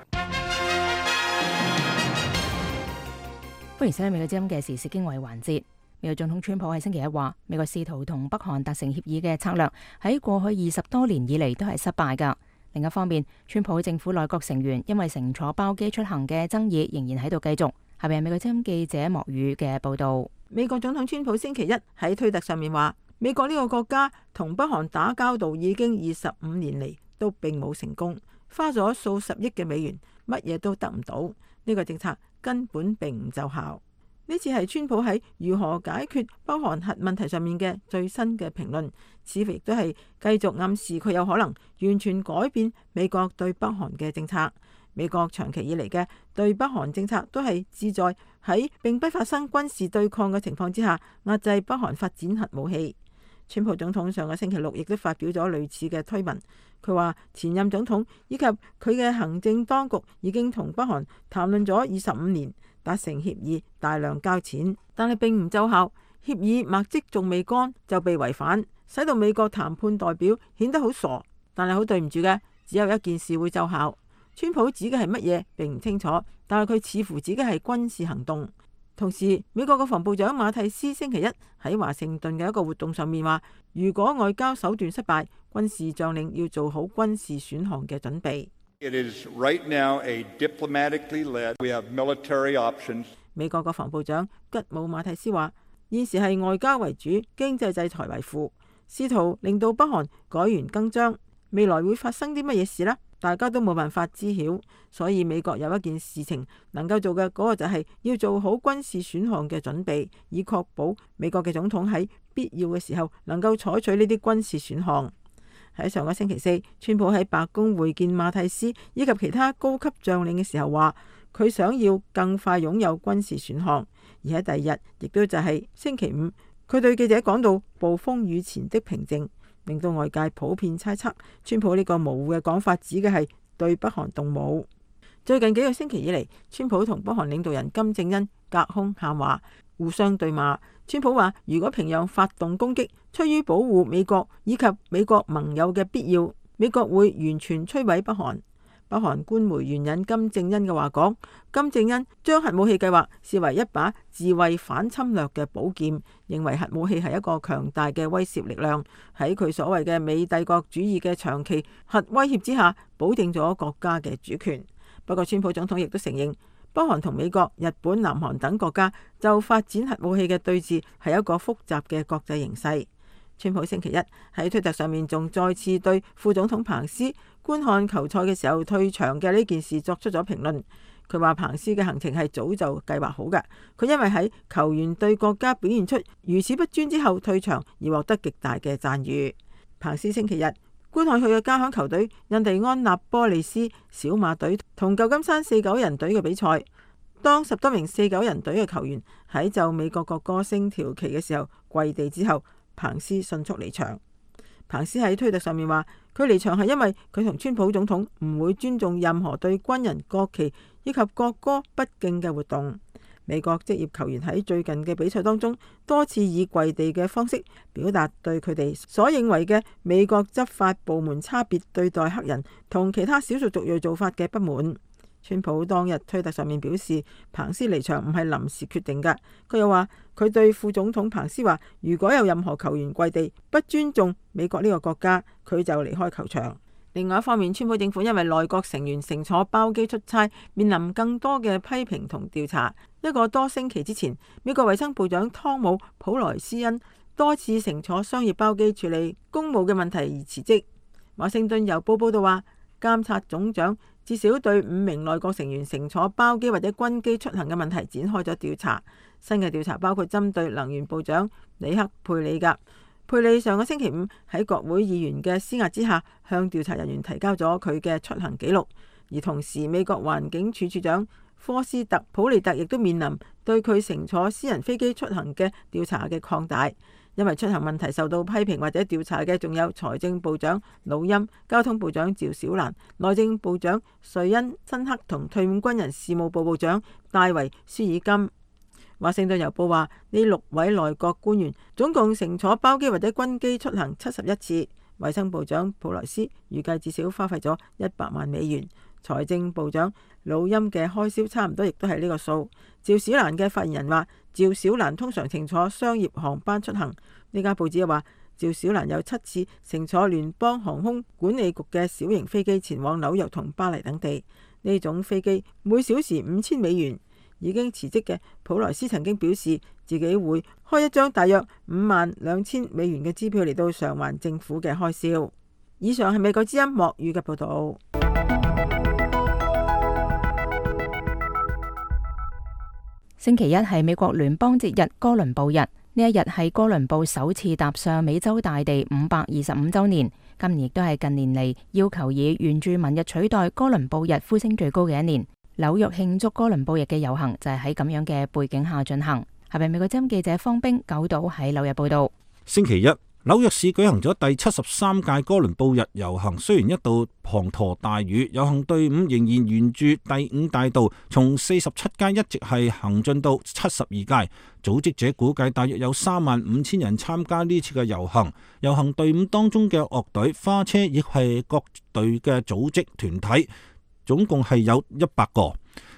歡迎收睇美國之音嘅時事經緯環節。美國總統川普喺星期一話，美國試圖同北韓達成協議嘅策略喺過去二十多年以嚟都係失敗㗎。另一方面，川普政府內閣成員因為乘坐包機出行嘅爭議仍然喺度繼續。下邊係美國之音記者莫宇嘅報道。美國總統川普星期一喺推特上面話，美國呢個國家同北韓打交道已經二十五年嚟都並冇成功，花咗數十億嘅美元，乜嘢都得唔到。呢個政策根本並唔奏效。呢次係川普喺如何解決北韓核問題上面嘅最新嘅評論，似乎亦都係繼續暗示佢有可能完全改變美國對北韓嘅政策。美國長期以嚟嘅對北韓政策都係旨在喺並不發生軍事對抗嘅情況之下壓制北韓發展核武器。川普總統上個星期六亦都發表咗類似嘅推文，佢話前任總統以及佢嘅行政當局已經同北韓談論咗二十五年，達成協議，大量交錢，但係並唔奏效。協議墨跡仲未乾就被違反，使到美國談判代表顯得好傻。但係好對唔住嘅，只有一件事會奏效。川普指嘅係乜嘢並唔清楚，但係佢似乎指嘅係軍事行動。同時，美國國防部長馬蒂斯星期一喺華盛頓嘅一個活動上面話，如果外交手段失敗，軍事將領要做好軍事選項嘅準備。It is right now a diplomatically led. We have military options. 美國國防部長吉姆馬蒂斯話，現時係外交為主，經濟制裁為輔，試圖令到北韓改弦更張。未來會發生啲乜嘢事呢？大家都冇辦法知曉，所以美國有一件事情能夠做嘅，嗰個就係要做好軍事選項嘅準備，以確保美國嘅總統喺必要嘅時候能夠採取呢啲軍事選項。喺上個星期四，川普喺白宮會見馬蒂斯以及其他高級將領嘅時候話，佢想要更快擁有軍事選項。而喺第二日，亦都就係星期五，佢對記者講到暴風雨前的平靜，令到外界普遍猜測，川普呢個模糊嘅講法指嘅係對北韓動武。最近幾個星期以嚟，川普同北韓領導人金正恩隔空喊話，互相對罵。川普話，如果平壤發動攻擊，出於保護美國以及美國盟友嘅必要，美國會完全摧毀北韓。北韓官媒援引金正恩嘅話講，金正恩將核武器計劃視為一把自衛反侵略嘅寶劍，認為核武器係一個強大嘅威懾力量，喺佢所謂嘅美帝國主義嘅長期核威脅之下，保證咗國家嘅主權。不過，川普總統亦都承認，北韓同美國、日本、南韓等國家就發展核武器嘅對峙係一個複雜嘅國際形勢。川普星期一喺推特上面仲再次對副總統彭斯觀看球賽嘅時候退場嘅呢件事作出咗評論。佢話彭斯嘅行程係早就計劃好嘅，佢因為喺球員對國家表現出如此不尊之後退場而獲得極大嘅讚譽。彭斯星期日觀看佢嘅家鄉球隊印第安納波利斯小馬隊同舊金山四九人隊嘅比賽，當十多名四九人隊嘅球員喺就美國國歌升條旗嘅時候跪地之後，彭斯迅速離場。彭斯喺推特上面話，佢離場係因為佢同川普總統唔會尊重任何對軍人、國旗以及國歌不敬嘅活動。美國職業球員喺最近嘅比賽當中多次以跪地嘅方式表達對佢哋所認為嘅美國執法部門差別對待黑人同其他少數族裔做法嘅不滿。川普當日推特上面表示，彭斯離場唔係臨時決定㗎。佢又話，佢對副總統彭斯話，如果有任何球員跪地不尊重美國呢個國家，佢就離開球場。另外一方面，川普政府因為內閣成員乘坐包機出差，面臨更多嘅批評同調查。一個多星期之前，美國衛生部長湯姆普萊斯因多次乘坐商業包機處理公務嘅問題而辭職。華盛頓郵報報道話，監察總長至少對五名內閣成員乘坐包機或者軍機出行嘅問題展開咗調查。新嘅調查包括針對能源部長里克佩里格。佩里上個星期五喺國會議員嘅施壓之下，向調查人員提交咗佢嘅出行記錄，而同時美國環境署署長科斯特普利特亦都面臨對佢乘坐私人飛機出行嘅調查嘅擴大。因為出行問題受到批評或者調查嘅，仲有財政部長魯欽、交通部長趙小蘭、內政部長瑞恩辛克同退伍軍人事務部部長戴維舒爾金。華盛頓郵報話，呢六位內閣官員總共乘坐包機或者軍機出行七十一次。衛生部長普萊斯預計至少花費咗一百萬美元。財政部長魯欽嘅開銷差唔多亦都係呢個數。趙小蘭嘅發言人話，趙小蘭通常乘坐商業航班出行。呢家報紙又話，趙小蘭有七次乘坐聯邦航空管理局嘅小型飛機前往紐約同巴黎等地。呢種飛機每小時五千美元。已經辭職嘅普萊斯曾經表示，自己會開一張大約五萬兩千美元嘅支票嚟到償還政府嘅開銷。以上係美國之音莫語嘅報道。星期一係美國聯邦節日哥倫布日，呢一日係哥倫布首次踏上美洲大地五百二十五週年。今年亦都係近年嚟要求以原住民日取代哥倫布日呼聲最高嘅一年。紐約慶祝哥倫布日嘅遊行就係喺咁樣嘅背景下進行。係咪美國之音記者方冰九島喺紐約報道？星期一，紐約市舉行咗第七十三屆哥倫布日遊行，雖然一度滂沱大雨，遊行隊伍仍然沿住第五大道從四十七街一直係行進到七十二街。組織者估計大約有三萬五千人參加呢次嘅遊行。遊行隊伍當中嘅樂隊、花車亦係各隊嘅組織團體。總共係有一百個。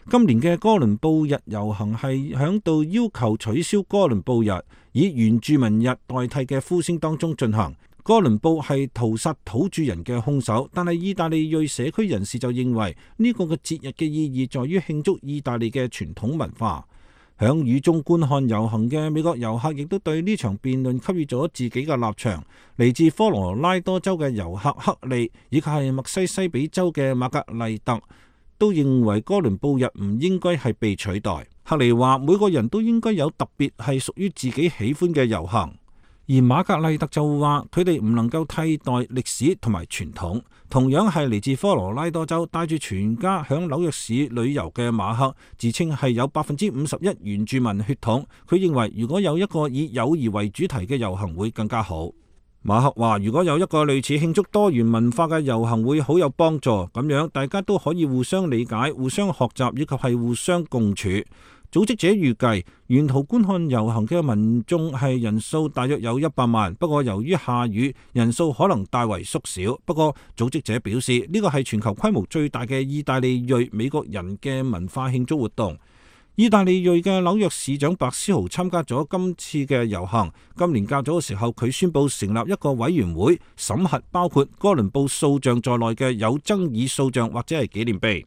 今年嘅哥倫布日遊行係響度要求取消哥倫布日，以原住民日代替嘅呼聲當中進行。哥倫布係屠殺土著人嘅兇手，但係意大利裔社區人士就認為呢個嘅節日嘅意義在於慶祝意大利嘅傳統文化。響雨中觀看遊行嘅美國遊客亦都對呢場辯論給予咗自己嘅立場。嚟自科羅拉多州嘅遊客克利以及係密西西比州嘅瑪格麗特都認為哥倫布日唔應該係被取代。克利話每個人都應該有特別係屬於自己喜歡嘅遊行，而瑪格麗特就話佢哋唔能夠替代歷史同埋傳統。同樣係嚟自科羅拉多州帶住全家響紐約市旅遊嘅馬克自稱係有百分之五十一原住民血統，佢認為如果有一個以友誼為主題嘅遊行會更加好。馬克話如果有一個類似慶祝多元文化嘅遊行會好有幫助，咁樣大家都可以互相理解、互相學習以及係互相共處。組織者預計沿途觀看遊行嘅民眾係人數大約有一百萬，不過由於下雨，人數可能大為縮小。不過組織者表示呢個係全球規模最大嘅意大利裔美國人嘅文化慶祝活動。意大利裔嘅紐約市長白思豪參加咗今次嘅遊行。今年較早嘅時候，佢宣布成立一個委員會審核包括哥倫布塑像在內嘅有爭議塑像或者係紀念碑。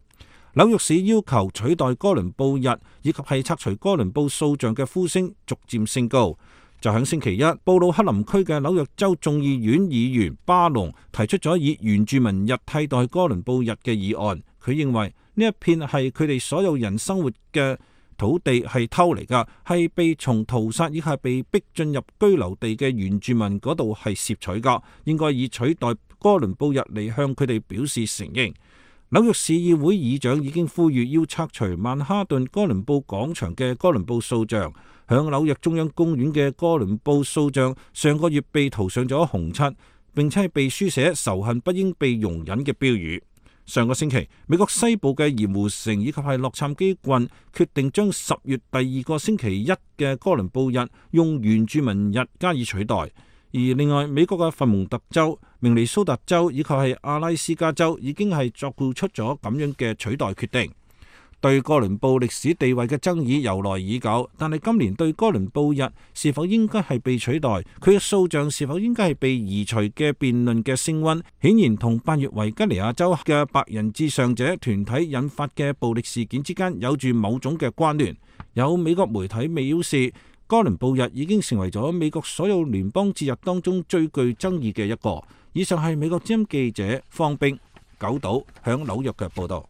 紐約市要求取代哥倫布日以及係拆除哥倫布塑像嘅呼聲逐漸升高。就喺星期一，布魯克林區嘅紐約州眾議院議員巴隆提出咗以原住民日替代哥倫布日嘅議案。佢認為呢一片係佢哋所有人生活嘅土地係偷嚟㗎，係被從屠殺以及係被逼進入居留地嘅原住民嗰度係攝取㗎，應該以取代哥倫布日嚟向佢哋表示承認。紐約市議會議長已經呼籲要拆除曼哈頓哥倫布廣場嘅哥倫布塑像。響紐約中央公園嘅哥倫布塑像上個月被塗上咗紅漆，並且係被書寫仇恨不應被容忍嘅標語。上個星期，美國西部嘅鹽湖城以及係洛杉磯郡決定將十月第二個星期一嘅哥倫布日用原住民日加以取代。而另外，美國嘅佛蒙特州、明尼蘇達州以及係阿拉斯加州已經係作出咗咁樣嘅取代決定。對哥倫布歷史地位嘅爭議由來已久，但係今年對哥倫布日是否應該係被取代，佢嘅塑像是否應該係被移除嘅辯論嘅升溫，顯然同八月維吉尼亞州嘅白人至上者團體引發嘅暴力事件之間有住某種嘅關聯。有美國媒體表示，哥倫布日已經成為咗美國所有聯邦節日當中最具爭議嘅一個。以上係美國之音記者方冰九島響紐約嘅報道。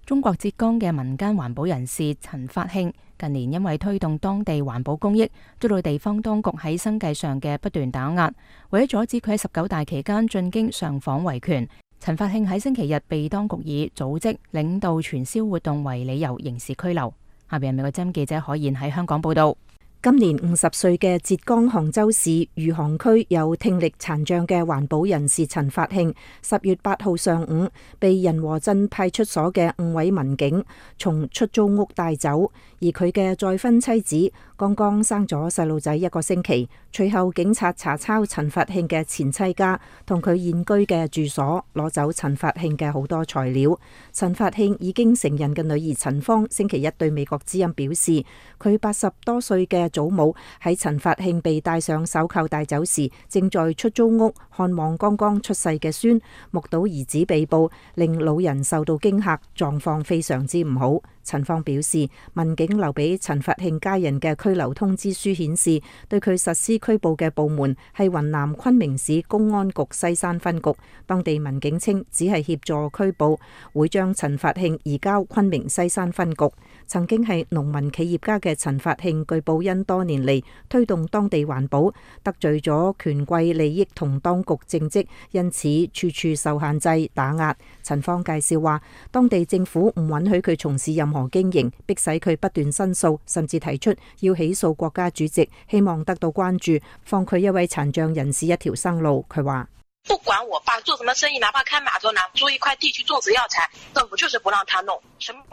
中國浙江嘅民間環保人士陳發慶近年因為推動當地環保公益，遭到地方當局喺生計上嘅不斷打壓。為咗阻止佢喺十九大期間進京上訪維權，陳發慶喺星期日被當局以組織領導傳銷活動為理由刑事拘留。下邊係美國之音記者可燕喺香港報道。今年五十歲嘅浙江杭州市餘杭區有聽力殘障嘅環保人士陳發慶，十月八號上午被仁和鎮派出所嘅五位民警從出租屋帶走，而佢嘅再婚妻子剛剛生咗細路仔一個星期。隨後警察查抄陳發慶嘅前妻家同佢現居嘅住所，攞走陳發慶嘅好多材料。陳發慶已經成人嘅女兒陳芳星期一對美國之音表示，佢八十多歲嘅祖母喺陳發慶被戴上手銬帶走時，正在出租屋看望剛剛出世嘅孫，目睹兒子被捕，令老人受到驚嚇，狀況非常之唔好。陳芳表示，民警留俾陳發慶家人嘅拘留通知書顯示，對佢實施拘捕嘅部門係雲南昆明市公安局西山分局。當地民警稱只係協助拘捕，會將陳發慶移交昆明西山分局。曾經係農民企業家嘅陳發慶，據報因多年嚟推動當地環保，得罪咗權貴利益同當局政績，因此處處受限制打壓。陳芳介紹話，當地政府唔允許佢從事任何經營，迫使佢不斷申訴，甚至提出要起訴國家主席，希望得到關注，放佢一位殘障人士一條生路。佢話，不管我爸做什麼生意，哪怕開碼頭，哪怕租一塊地去種植藥材，政府就是不讓他弄。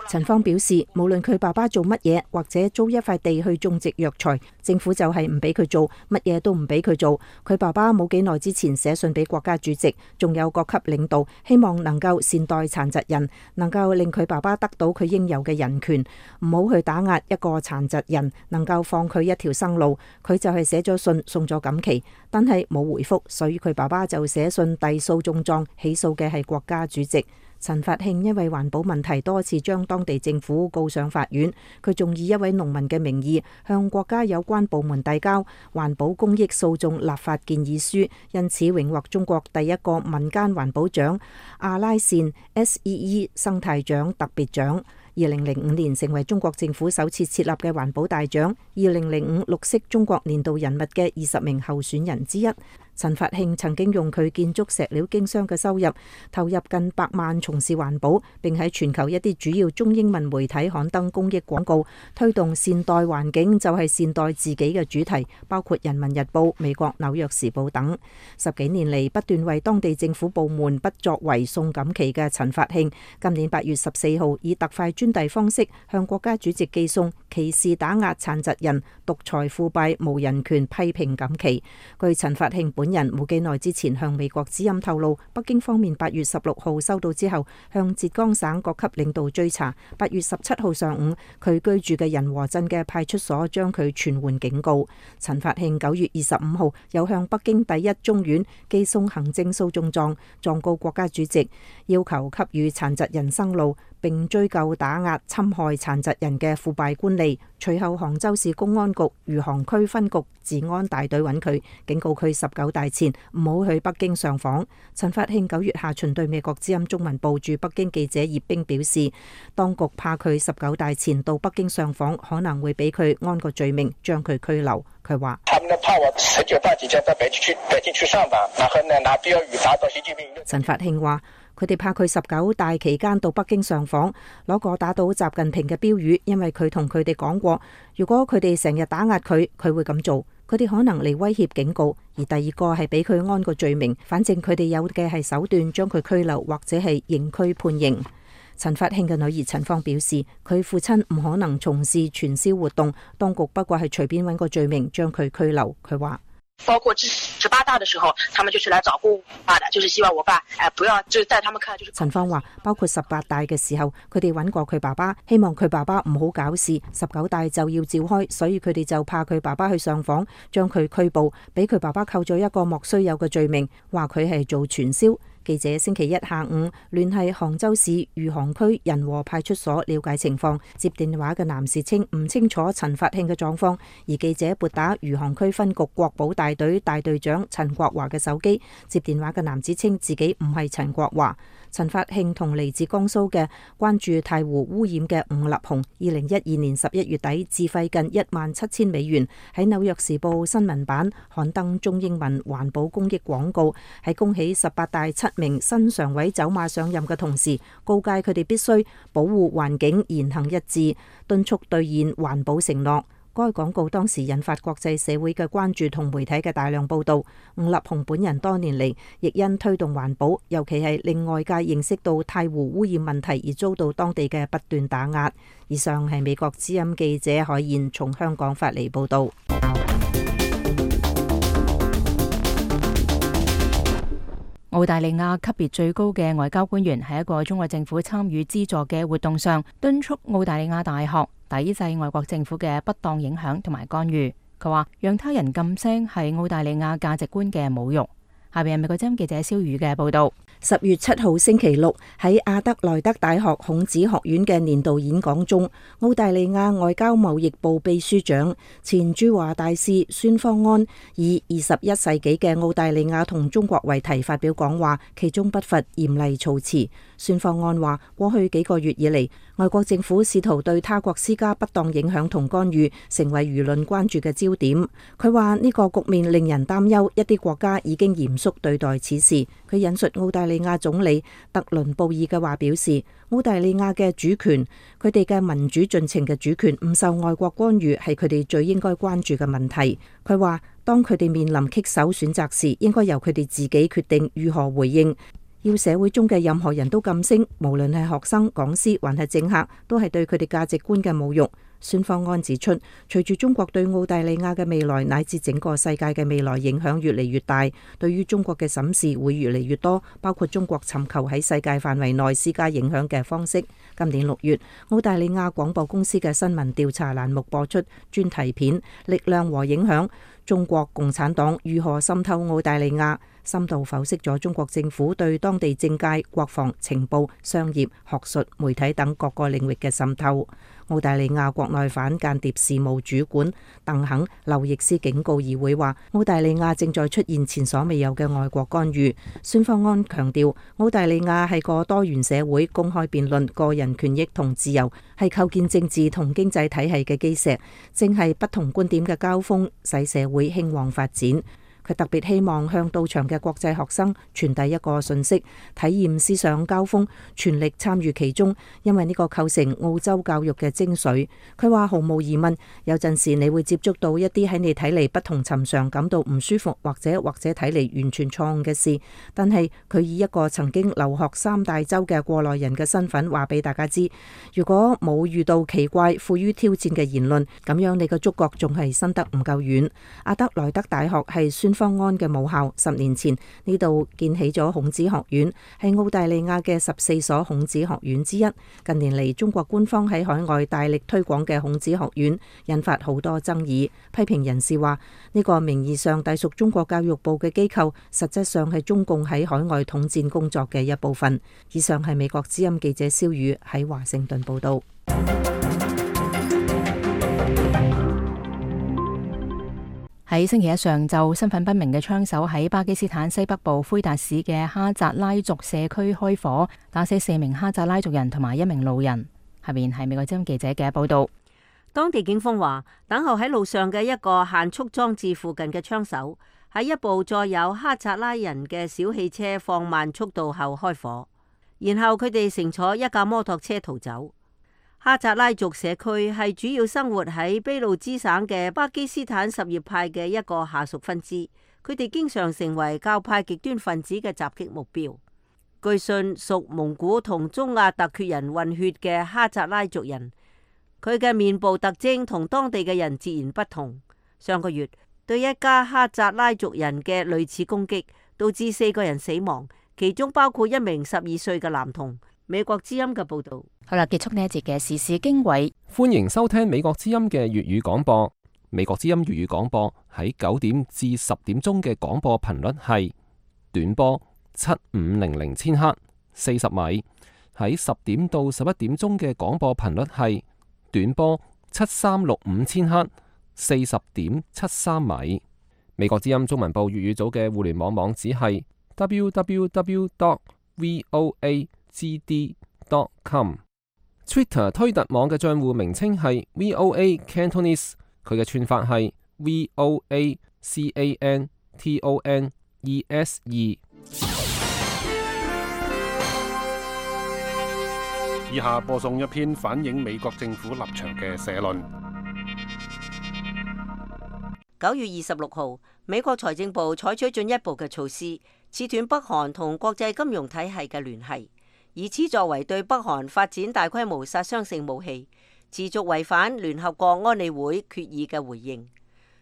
陳芳表示，無論佢爸爸做乜嘢，或者租一塊地去種植藥材，政府就係唔俾佢做，乜嘢都唔俾佢做。佢爸爸冇幾耐之前寫信俾國家主席，仲有各級領導，希望能夠善待殘疾人，能夠令佢爸爸得到佢應有嘅人權，唔好去打壓一個殘疾人，能夠放佢一條生路。佢就係寫咗信送咗錦旗，但係冇回覆，所以佢爸爸就寫信遞訴訟狀，起訴嘅係國家主席。陳發慶因為環保問題多次將當地政府告上法院，佢仲以一位農民嘅名義向國家有關部門遞交環保公益訴訟立法建議書，因此榮獲中國第一個民間環保獎阿拉善 S E E 生態獎特別獎。二零零五年成為中國政府首次設立嘅環保大獎，二零零五綠色中國年度人物嘅二十名候選人之一。陳發慶曾經用佢建築石料經商嘅收入投入近百萬從事環保，並喺全球一啲主要中英文媒體刊登公益廣告，推動善待環境就係善待自己嘅主題，包括《人民日報》、美國紐約時報等。十幾年嚟不斷為當地政府部門不作為送錦旗嘅陳發慶，今年八月十四號以特快專遞方式向國家主席寄送歧視打壓殘疾人、獨裁腐敗無人權批評錦旗。據陳發慶本人冇幾耐之前向美國之音透露，北京方面八月十六號收到之後，向浙江省各級領導追查。八月十七號上午，佢居住嘅仁和鎮嘅派出所將佢傳喚警告。陳發慶九月二十五號又向北京第一中院寄送行政訴訟狀，狀告國家主席，要求給予殘疾人生路，並追究打壓侵害殘疾人嘅腐敗官吏。隨後杭州市公安局餘杭區分局治安大隊揾佢，警告佢十九大前唔好去北京上訪。陳發慶九月下旬對美國之音中文部駐北京記者葉冰表示，當局怕佢十九大前到北京上訪，可能會俾佢安個罪名，將佢拘留。佢話：陳發慶話。佢哋怕佢十九大期間到北京上訪，攞個打倒習近平嘅標語，因為佢同佢哋講過，如果佢哋成日打壓佢，佢會咁做。佢哋可能嚟威脅警告，而第二個係俾佢安個罪名，反正佢哋有嘅係手段將佢拘留或者係刑拘判刑。陳發慶嘅女兒陳芳表示，佢父親唔可能從事傳銷活動，當局不過係隨便揾個罪名將佢拘留。佢話。包括十八大的時候，他們就是來找過我爸的，就是希望我爸誒不要，就是在他們看來就是。陳芳話，包括十八大嘅時候，佢哋揾過佢爸爸，希望佢爸爸唔好搞事。十九大就要召開，所以佢哋就怕佢爸爸去上訪，將佢拘捕，俾佢爸爸扣咗一個莫須有嘅罪名，話佢係做傳銷。記者星期一下午聯繫杭州市餘杭區仁和派出所了解情況，接電話嘅男士稱唔清楚陳發慶嘅狀況，而記者撥打餘杭區分局國保大隊大隊長陳國華嘅手機，接電話嘅男子稱自己唔係陳國華。陳發慶同嚟自江蘇嘅關注太湖污染嘅伍立雄，二零一二年十一月底自費近一萬七千美元喺紐約時報新聞版刊登中英文環保公益廣告，喺恭喜十八大七名新常委走馬上任嘅同時，告誡佢哋必須保護環境，言行一致，敦促兌現環保承諾。該廣告當時引發國際社會嘅關注同媒體嘅大量報導。伍立雄本人多年嚟亦因推動環保，尤其係令外界認識到太湖污染問題而遭到當地嘅不斷打壓。以上係美國之音記者海燕從香港發嚟報導。澳大利亞級別最高嘅外交官員喺一個中國政府參與資助嘅活動上，敦促澳大利亞大學抵制外國政府嘅不當影響同埋干預。佢話讓他人噤聲係澳大利亞價值觀嘅侮辱。下邊係美國之音記者蕭宇嘅報道。十月七號星期六喺阿德萊德大學孔子學院嘅年度演講中，澳大利亞外交貿易部秘書長前駐華大使孫方安以二十一世紀嘅澳大利亞同中國為題發表講話，其中不乏嚴厲措辭。孫方安話：過去幾個月以嚟，外國政府試圖對他國施加不當影響同干預，成為輿論關注嘅焦點。佢話呢個局面令人擔憂，一啲國家已經嚴肅對待此事。佢引述澳大利亞總理特倫布爾嘅話表示：澳大利亞嘅主權，佢哋嘅民主進程嘅主權唔受外國干預，係佢哋最應該關注嘅問題。佢話當佢哋面臨棘手選擇時，應該由佢哋自己決定如何回應。要社會中嘅任何人都噤聲，無論係學生、講師還係政客，都係對佢哋價值觀嘅侮辱。孫方安指出，隨住中國對澳大利亞嘅未來乃至整個世界嘅未來影響越嚟越大，對於中國嘅審視會越嚟越多，包括中國尋求喺世界範圍內施加影響嘅方式。今年六月，澳大利亞廣播公司嘅新聞調查欄目播出專題片《力量和影響：中國共產黨如何滲透澳大利亞》，深度剖析咗中國政府對當地政界、國防、情報、商業、學術、媒體等各個領域嘅滲透。澳大利亞國內反間諜事務主管鄧肯·劉易斯警告議會話，澳大利亞正在出現前所未有嘅外國干預。孫方安強調，澳大利亞係個多元社會，公開辯論、個人權益同自由係構建政治同經濟體系嘅基石，正係不同觀點嘅交鋒，使社會興旺發展。佢特別希望向到場嘅國際學生傳遞一個訊息，體驗思想交鋒，全力參與其中，因為呢個構成澳洲教育嘅精髓。佢話毫無疑問，有陣時你會接觸到一啲喺你睇嚟不同尋常、感到唔舒服或者或者睇嚟完全錯誤嘅事，但係佢以一個曾經留學三大洲嘅過來人嘅身份話俾大家知，如果冇遇到奇怪、富於挑戰嘅言論，咁樣你嘅觸覺仲係伸得唔夠遠。阿德萊德大學係孫方安嘅母校，十年前呢度建起咗孔子學院，係澳大利亞嘅十四所孔子學院之一。近年嚟，中國官方喺海外大力推廣嘅孔子學院引發好多爭議。批評人士話，呢個名義上隸屬中國教育部嘅機構，實質上係中共喺海外統戰工作嘅一部分。以上係美國之音記者蕭宇喺華盛頓報道。喺星期一上晝，身份不明嘅槍手喺巴基斯坦西北部奎達市嘅哈扎拉族社區開火，打死四名哈扎拉族人同埋一名路人。下面係美國之音記者嘅報道。當地警方話，等候喺路上嘅一個限速裝置附近嘅槍手喺一部載有哈扎拉人嘅小汽車放慢速度後開火，然後佢哋乘坐一架摩托車逃走。哈扎拉族社區係主要生活喺俾路支省嘅巴基斯坦什葉派嘅一個下屬分支，佢哋經常成為教派極端分子嘅襲擊目標。據信屬蒙古同中亞突厥人混血嘅哈扎拉族人，佢嘅面部特徵同當地嘅人截然不同。上個月，對一家哈扎拉族人嘅類似攻擊，導致四個人死亡，其中包括一名十二歲嘅男童。美國之音嘅報道。好啦，結束呢一節嘅時事經緯。歡迎收聽美國之音嘅粵語廣播。美國之音粵語廣播喺九點至十點鐘嘅廣播頻率係短波七五零零千赫四十米，喺十點到十一點鐘嘅廣播頻率係短波七三六五千赫四十點七三米。美國之音中文部粵語組嘅互聯網網址係 double-u double-u double-u dot voa g d dot com。Twitter 推特網嘅賬戶名稱係 V O A Cantonese， 佢嘅串法係 V O A C A N T O N E S E。以下播送一篇反映美國政府立場嘅社論。九月二十六號，美國財政部採取進一步嘅措施，切斷北韓同國際金融體系嘅聯繫，以此作為對北韓發展大規模殺傷性武器、持續違反聯合國安理會決議嘅回應。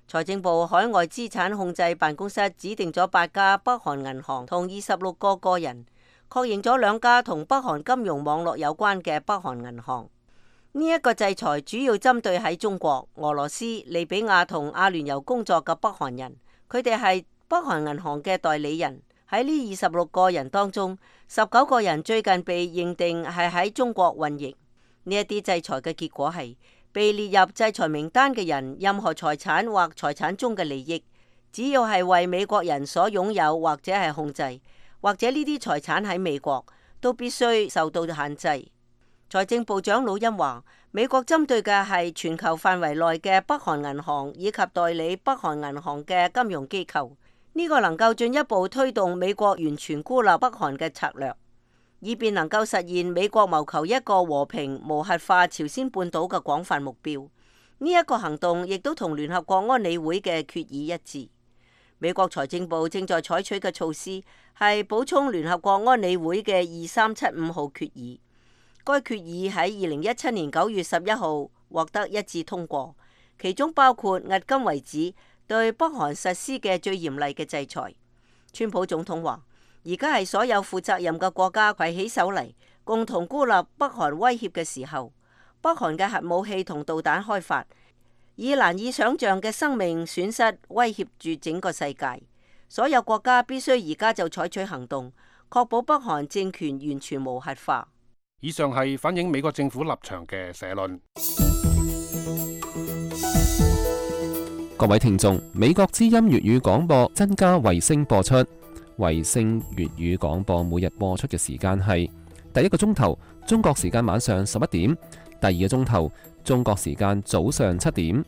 財政部海外資產控制辦公室指定咗八家北韓銀行同二十六個個人，確認咗兩家同北韓金融網絡有關嘅北韓銀行。呢一個制裁主要針對喺中國、俄羅斯、利比亞同阿聯酋工作嘅北韓人，佢哋係北韓銀行嘅代理人。喺呢二十六個人當中，十九個人最近被認定係喺中國運營。呢一啲制裁嘅結果係，被列入制裁名單嘅人，任何財產或財產中嘅利益，只要係為美國人所擁有或者係控制，或者呢啲財產喺美國，都必須受到限制。財政部長魯欽話，美國針對嘅係全球範圍內嘅北韓銀行以及代理北韓銀行嘅金融機構，呢個能夠進一步推動美國完全孤立北韓嘅策略，以便能夠實現美國謀求一個和平無核化朝鮮半島嘅廣泛目標。呢一個行動亦都同聯合國安理會嘅決議一致。美國財政部正在採取嘅措施係補充聯合國安理會嘅二三七五號決議。該決議喺二零一七年九月十一號獲得一致通過，其中包括迄今為止對北韓實施嘅最嚴厲嘅制裁。川普總統話，而家係所有負責任嘅國家攜起手嚟，共同孤立北韓威脅嘅時候。北韓嘅核武器同導彈開發，以難以想象嘅生命損失威脅住整個世界。所有國家必須而家就採取行動，確保北韓政權完全無核化。以上係反映美國政府立場嘅社論。各位聽眾，美國之音粵語廣播增加衛星播出。衛星粵語廣播每日播出嘅時間係第一個鐘頭中國時間晚上十一點，第二個鐘頭中國時間早上七點。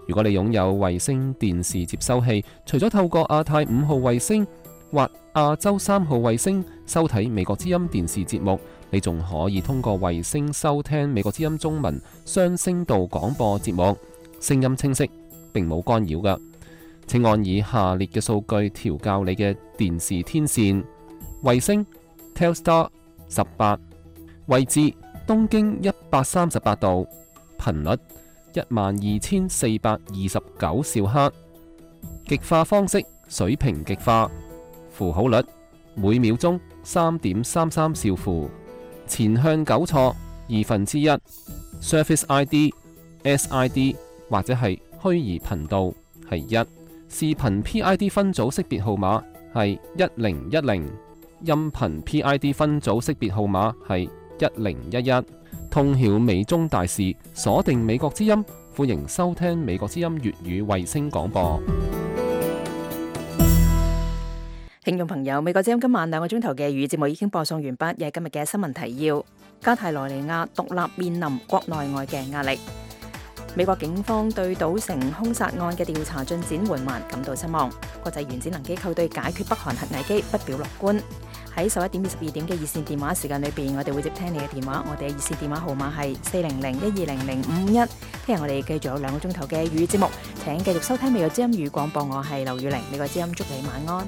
如果你擁有衛星電視接收器，除咗透過亞太五號衛星或亞洲三號衛星收睇美國之音電視節目，你仲可以通過衛星收聽美國之音中文雙聲道廣播節目，聲音清晰，並冇干擾㗎。請按以下列嘅數據調校你嘅電視天線：衛星 Telstar 十八，位置東經一百三十八度，頻率一萬二千四百二十九兆赫，極化方式水平極化，符號率每秒鐘三點三三兆符，前向糾錯二分之一 ，Surface I D、S I D 或者係虛擬頻道係一，視頻 P I D 分組識別號碼係一零一零，音頻 P I D 分組識別號碼係一零一一。通曉美中大事，鎖定美國之音，歡迎收聽美國之音粵語衛星廣播。聽眾朋友，美國之音今晚兩個鐘頭嘅粵語節目已經播送完畢，又係今日嘅新聞提要。加泰羅尼亞獨立面臨國內外嘅壓力。美國警方對賭城兇殺案嘅調查進展緩慢感到失望。國際原子能機構對解決北韓核危機不表樂觀。喺十一點至十二點嘅熱線電話時間裏邊，我哋會接聽你嘅電話。我哋嘅熱線電話號碼係四零零一二零零五五一。聽日我哋繼續有兩個鐘頭嘅粵語節目，請繼續收聽美國之音語廣播。我係劉宇玲，美國之音祝你晚安。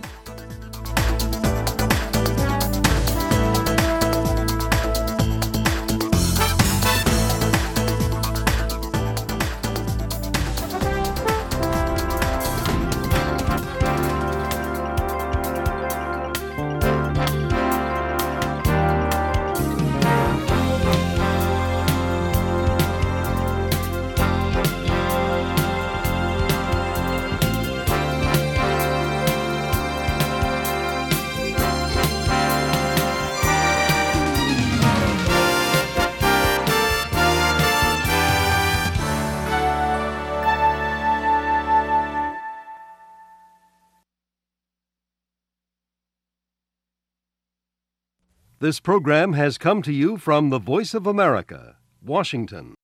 This program has come to you from the Voice of America, Washington.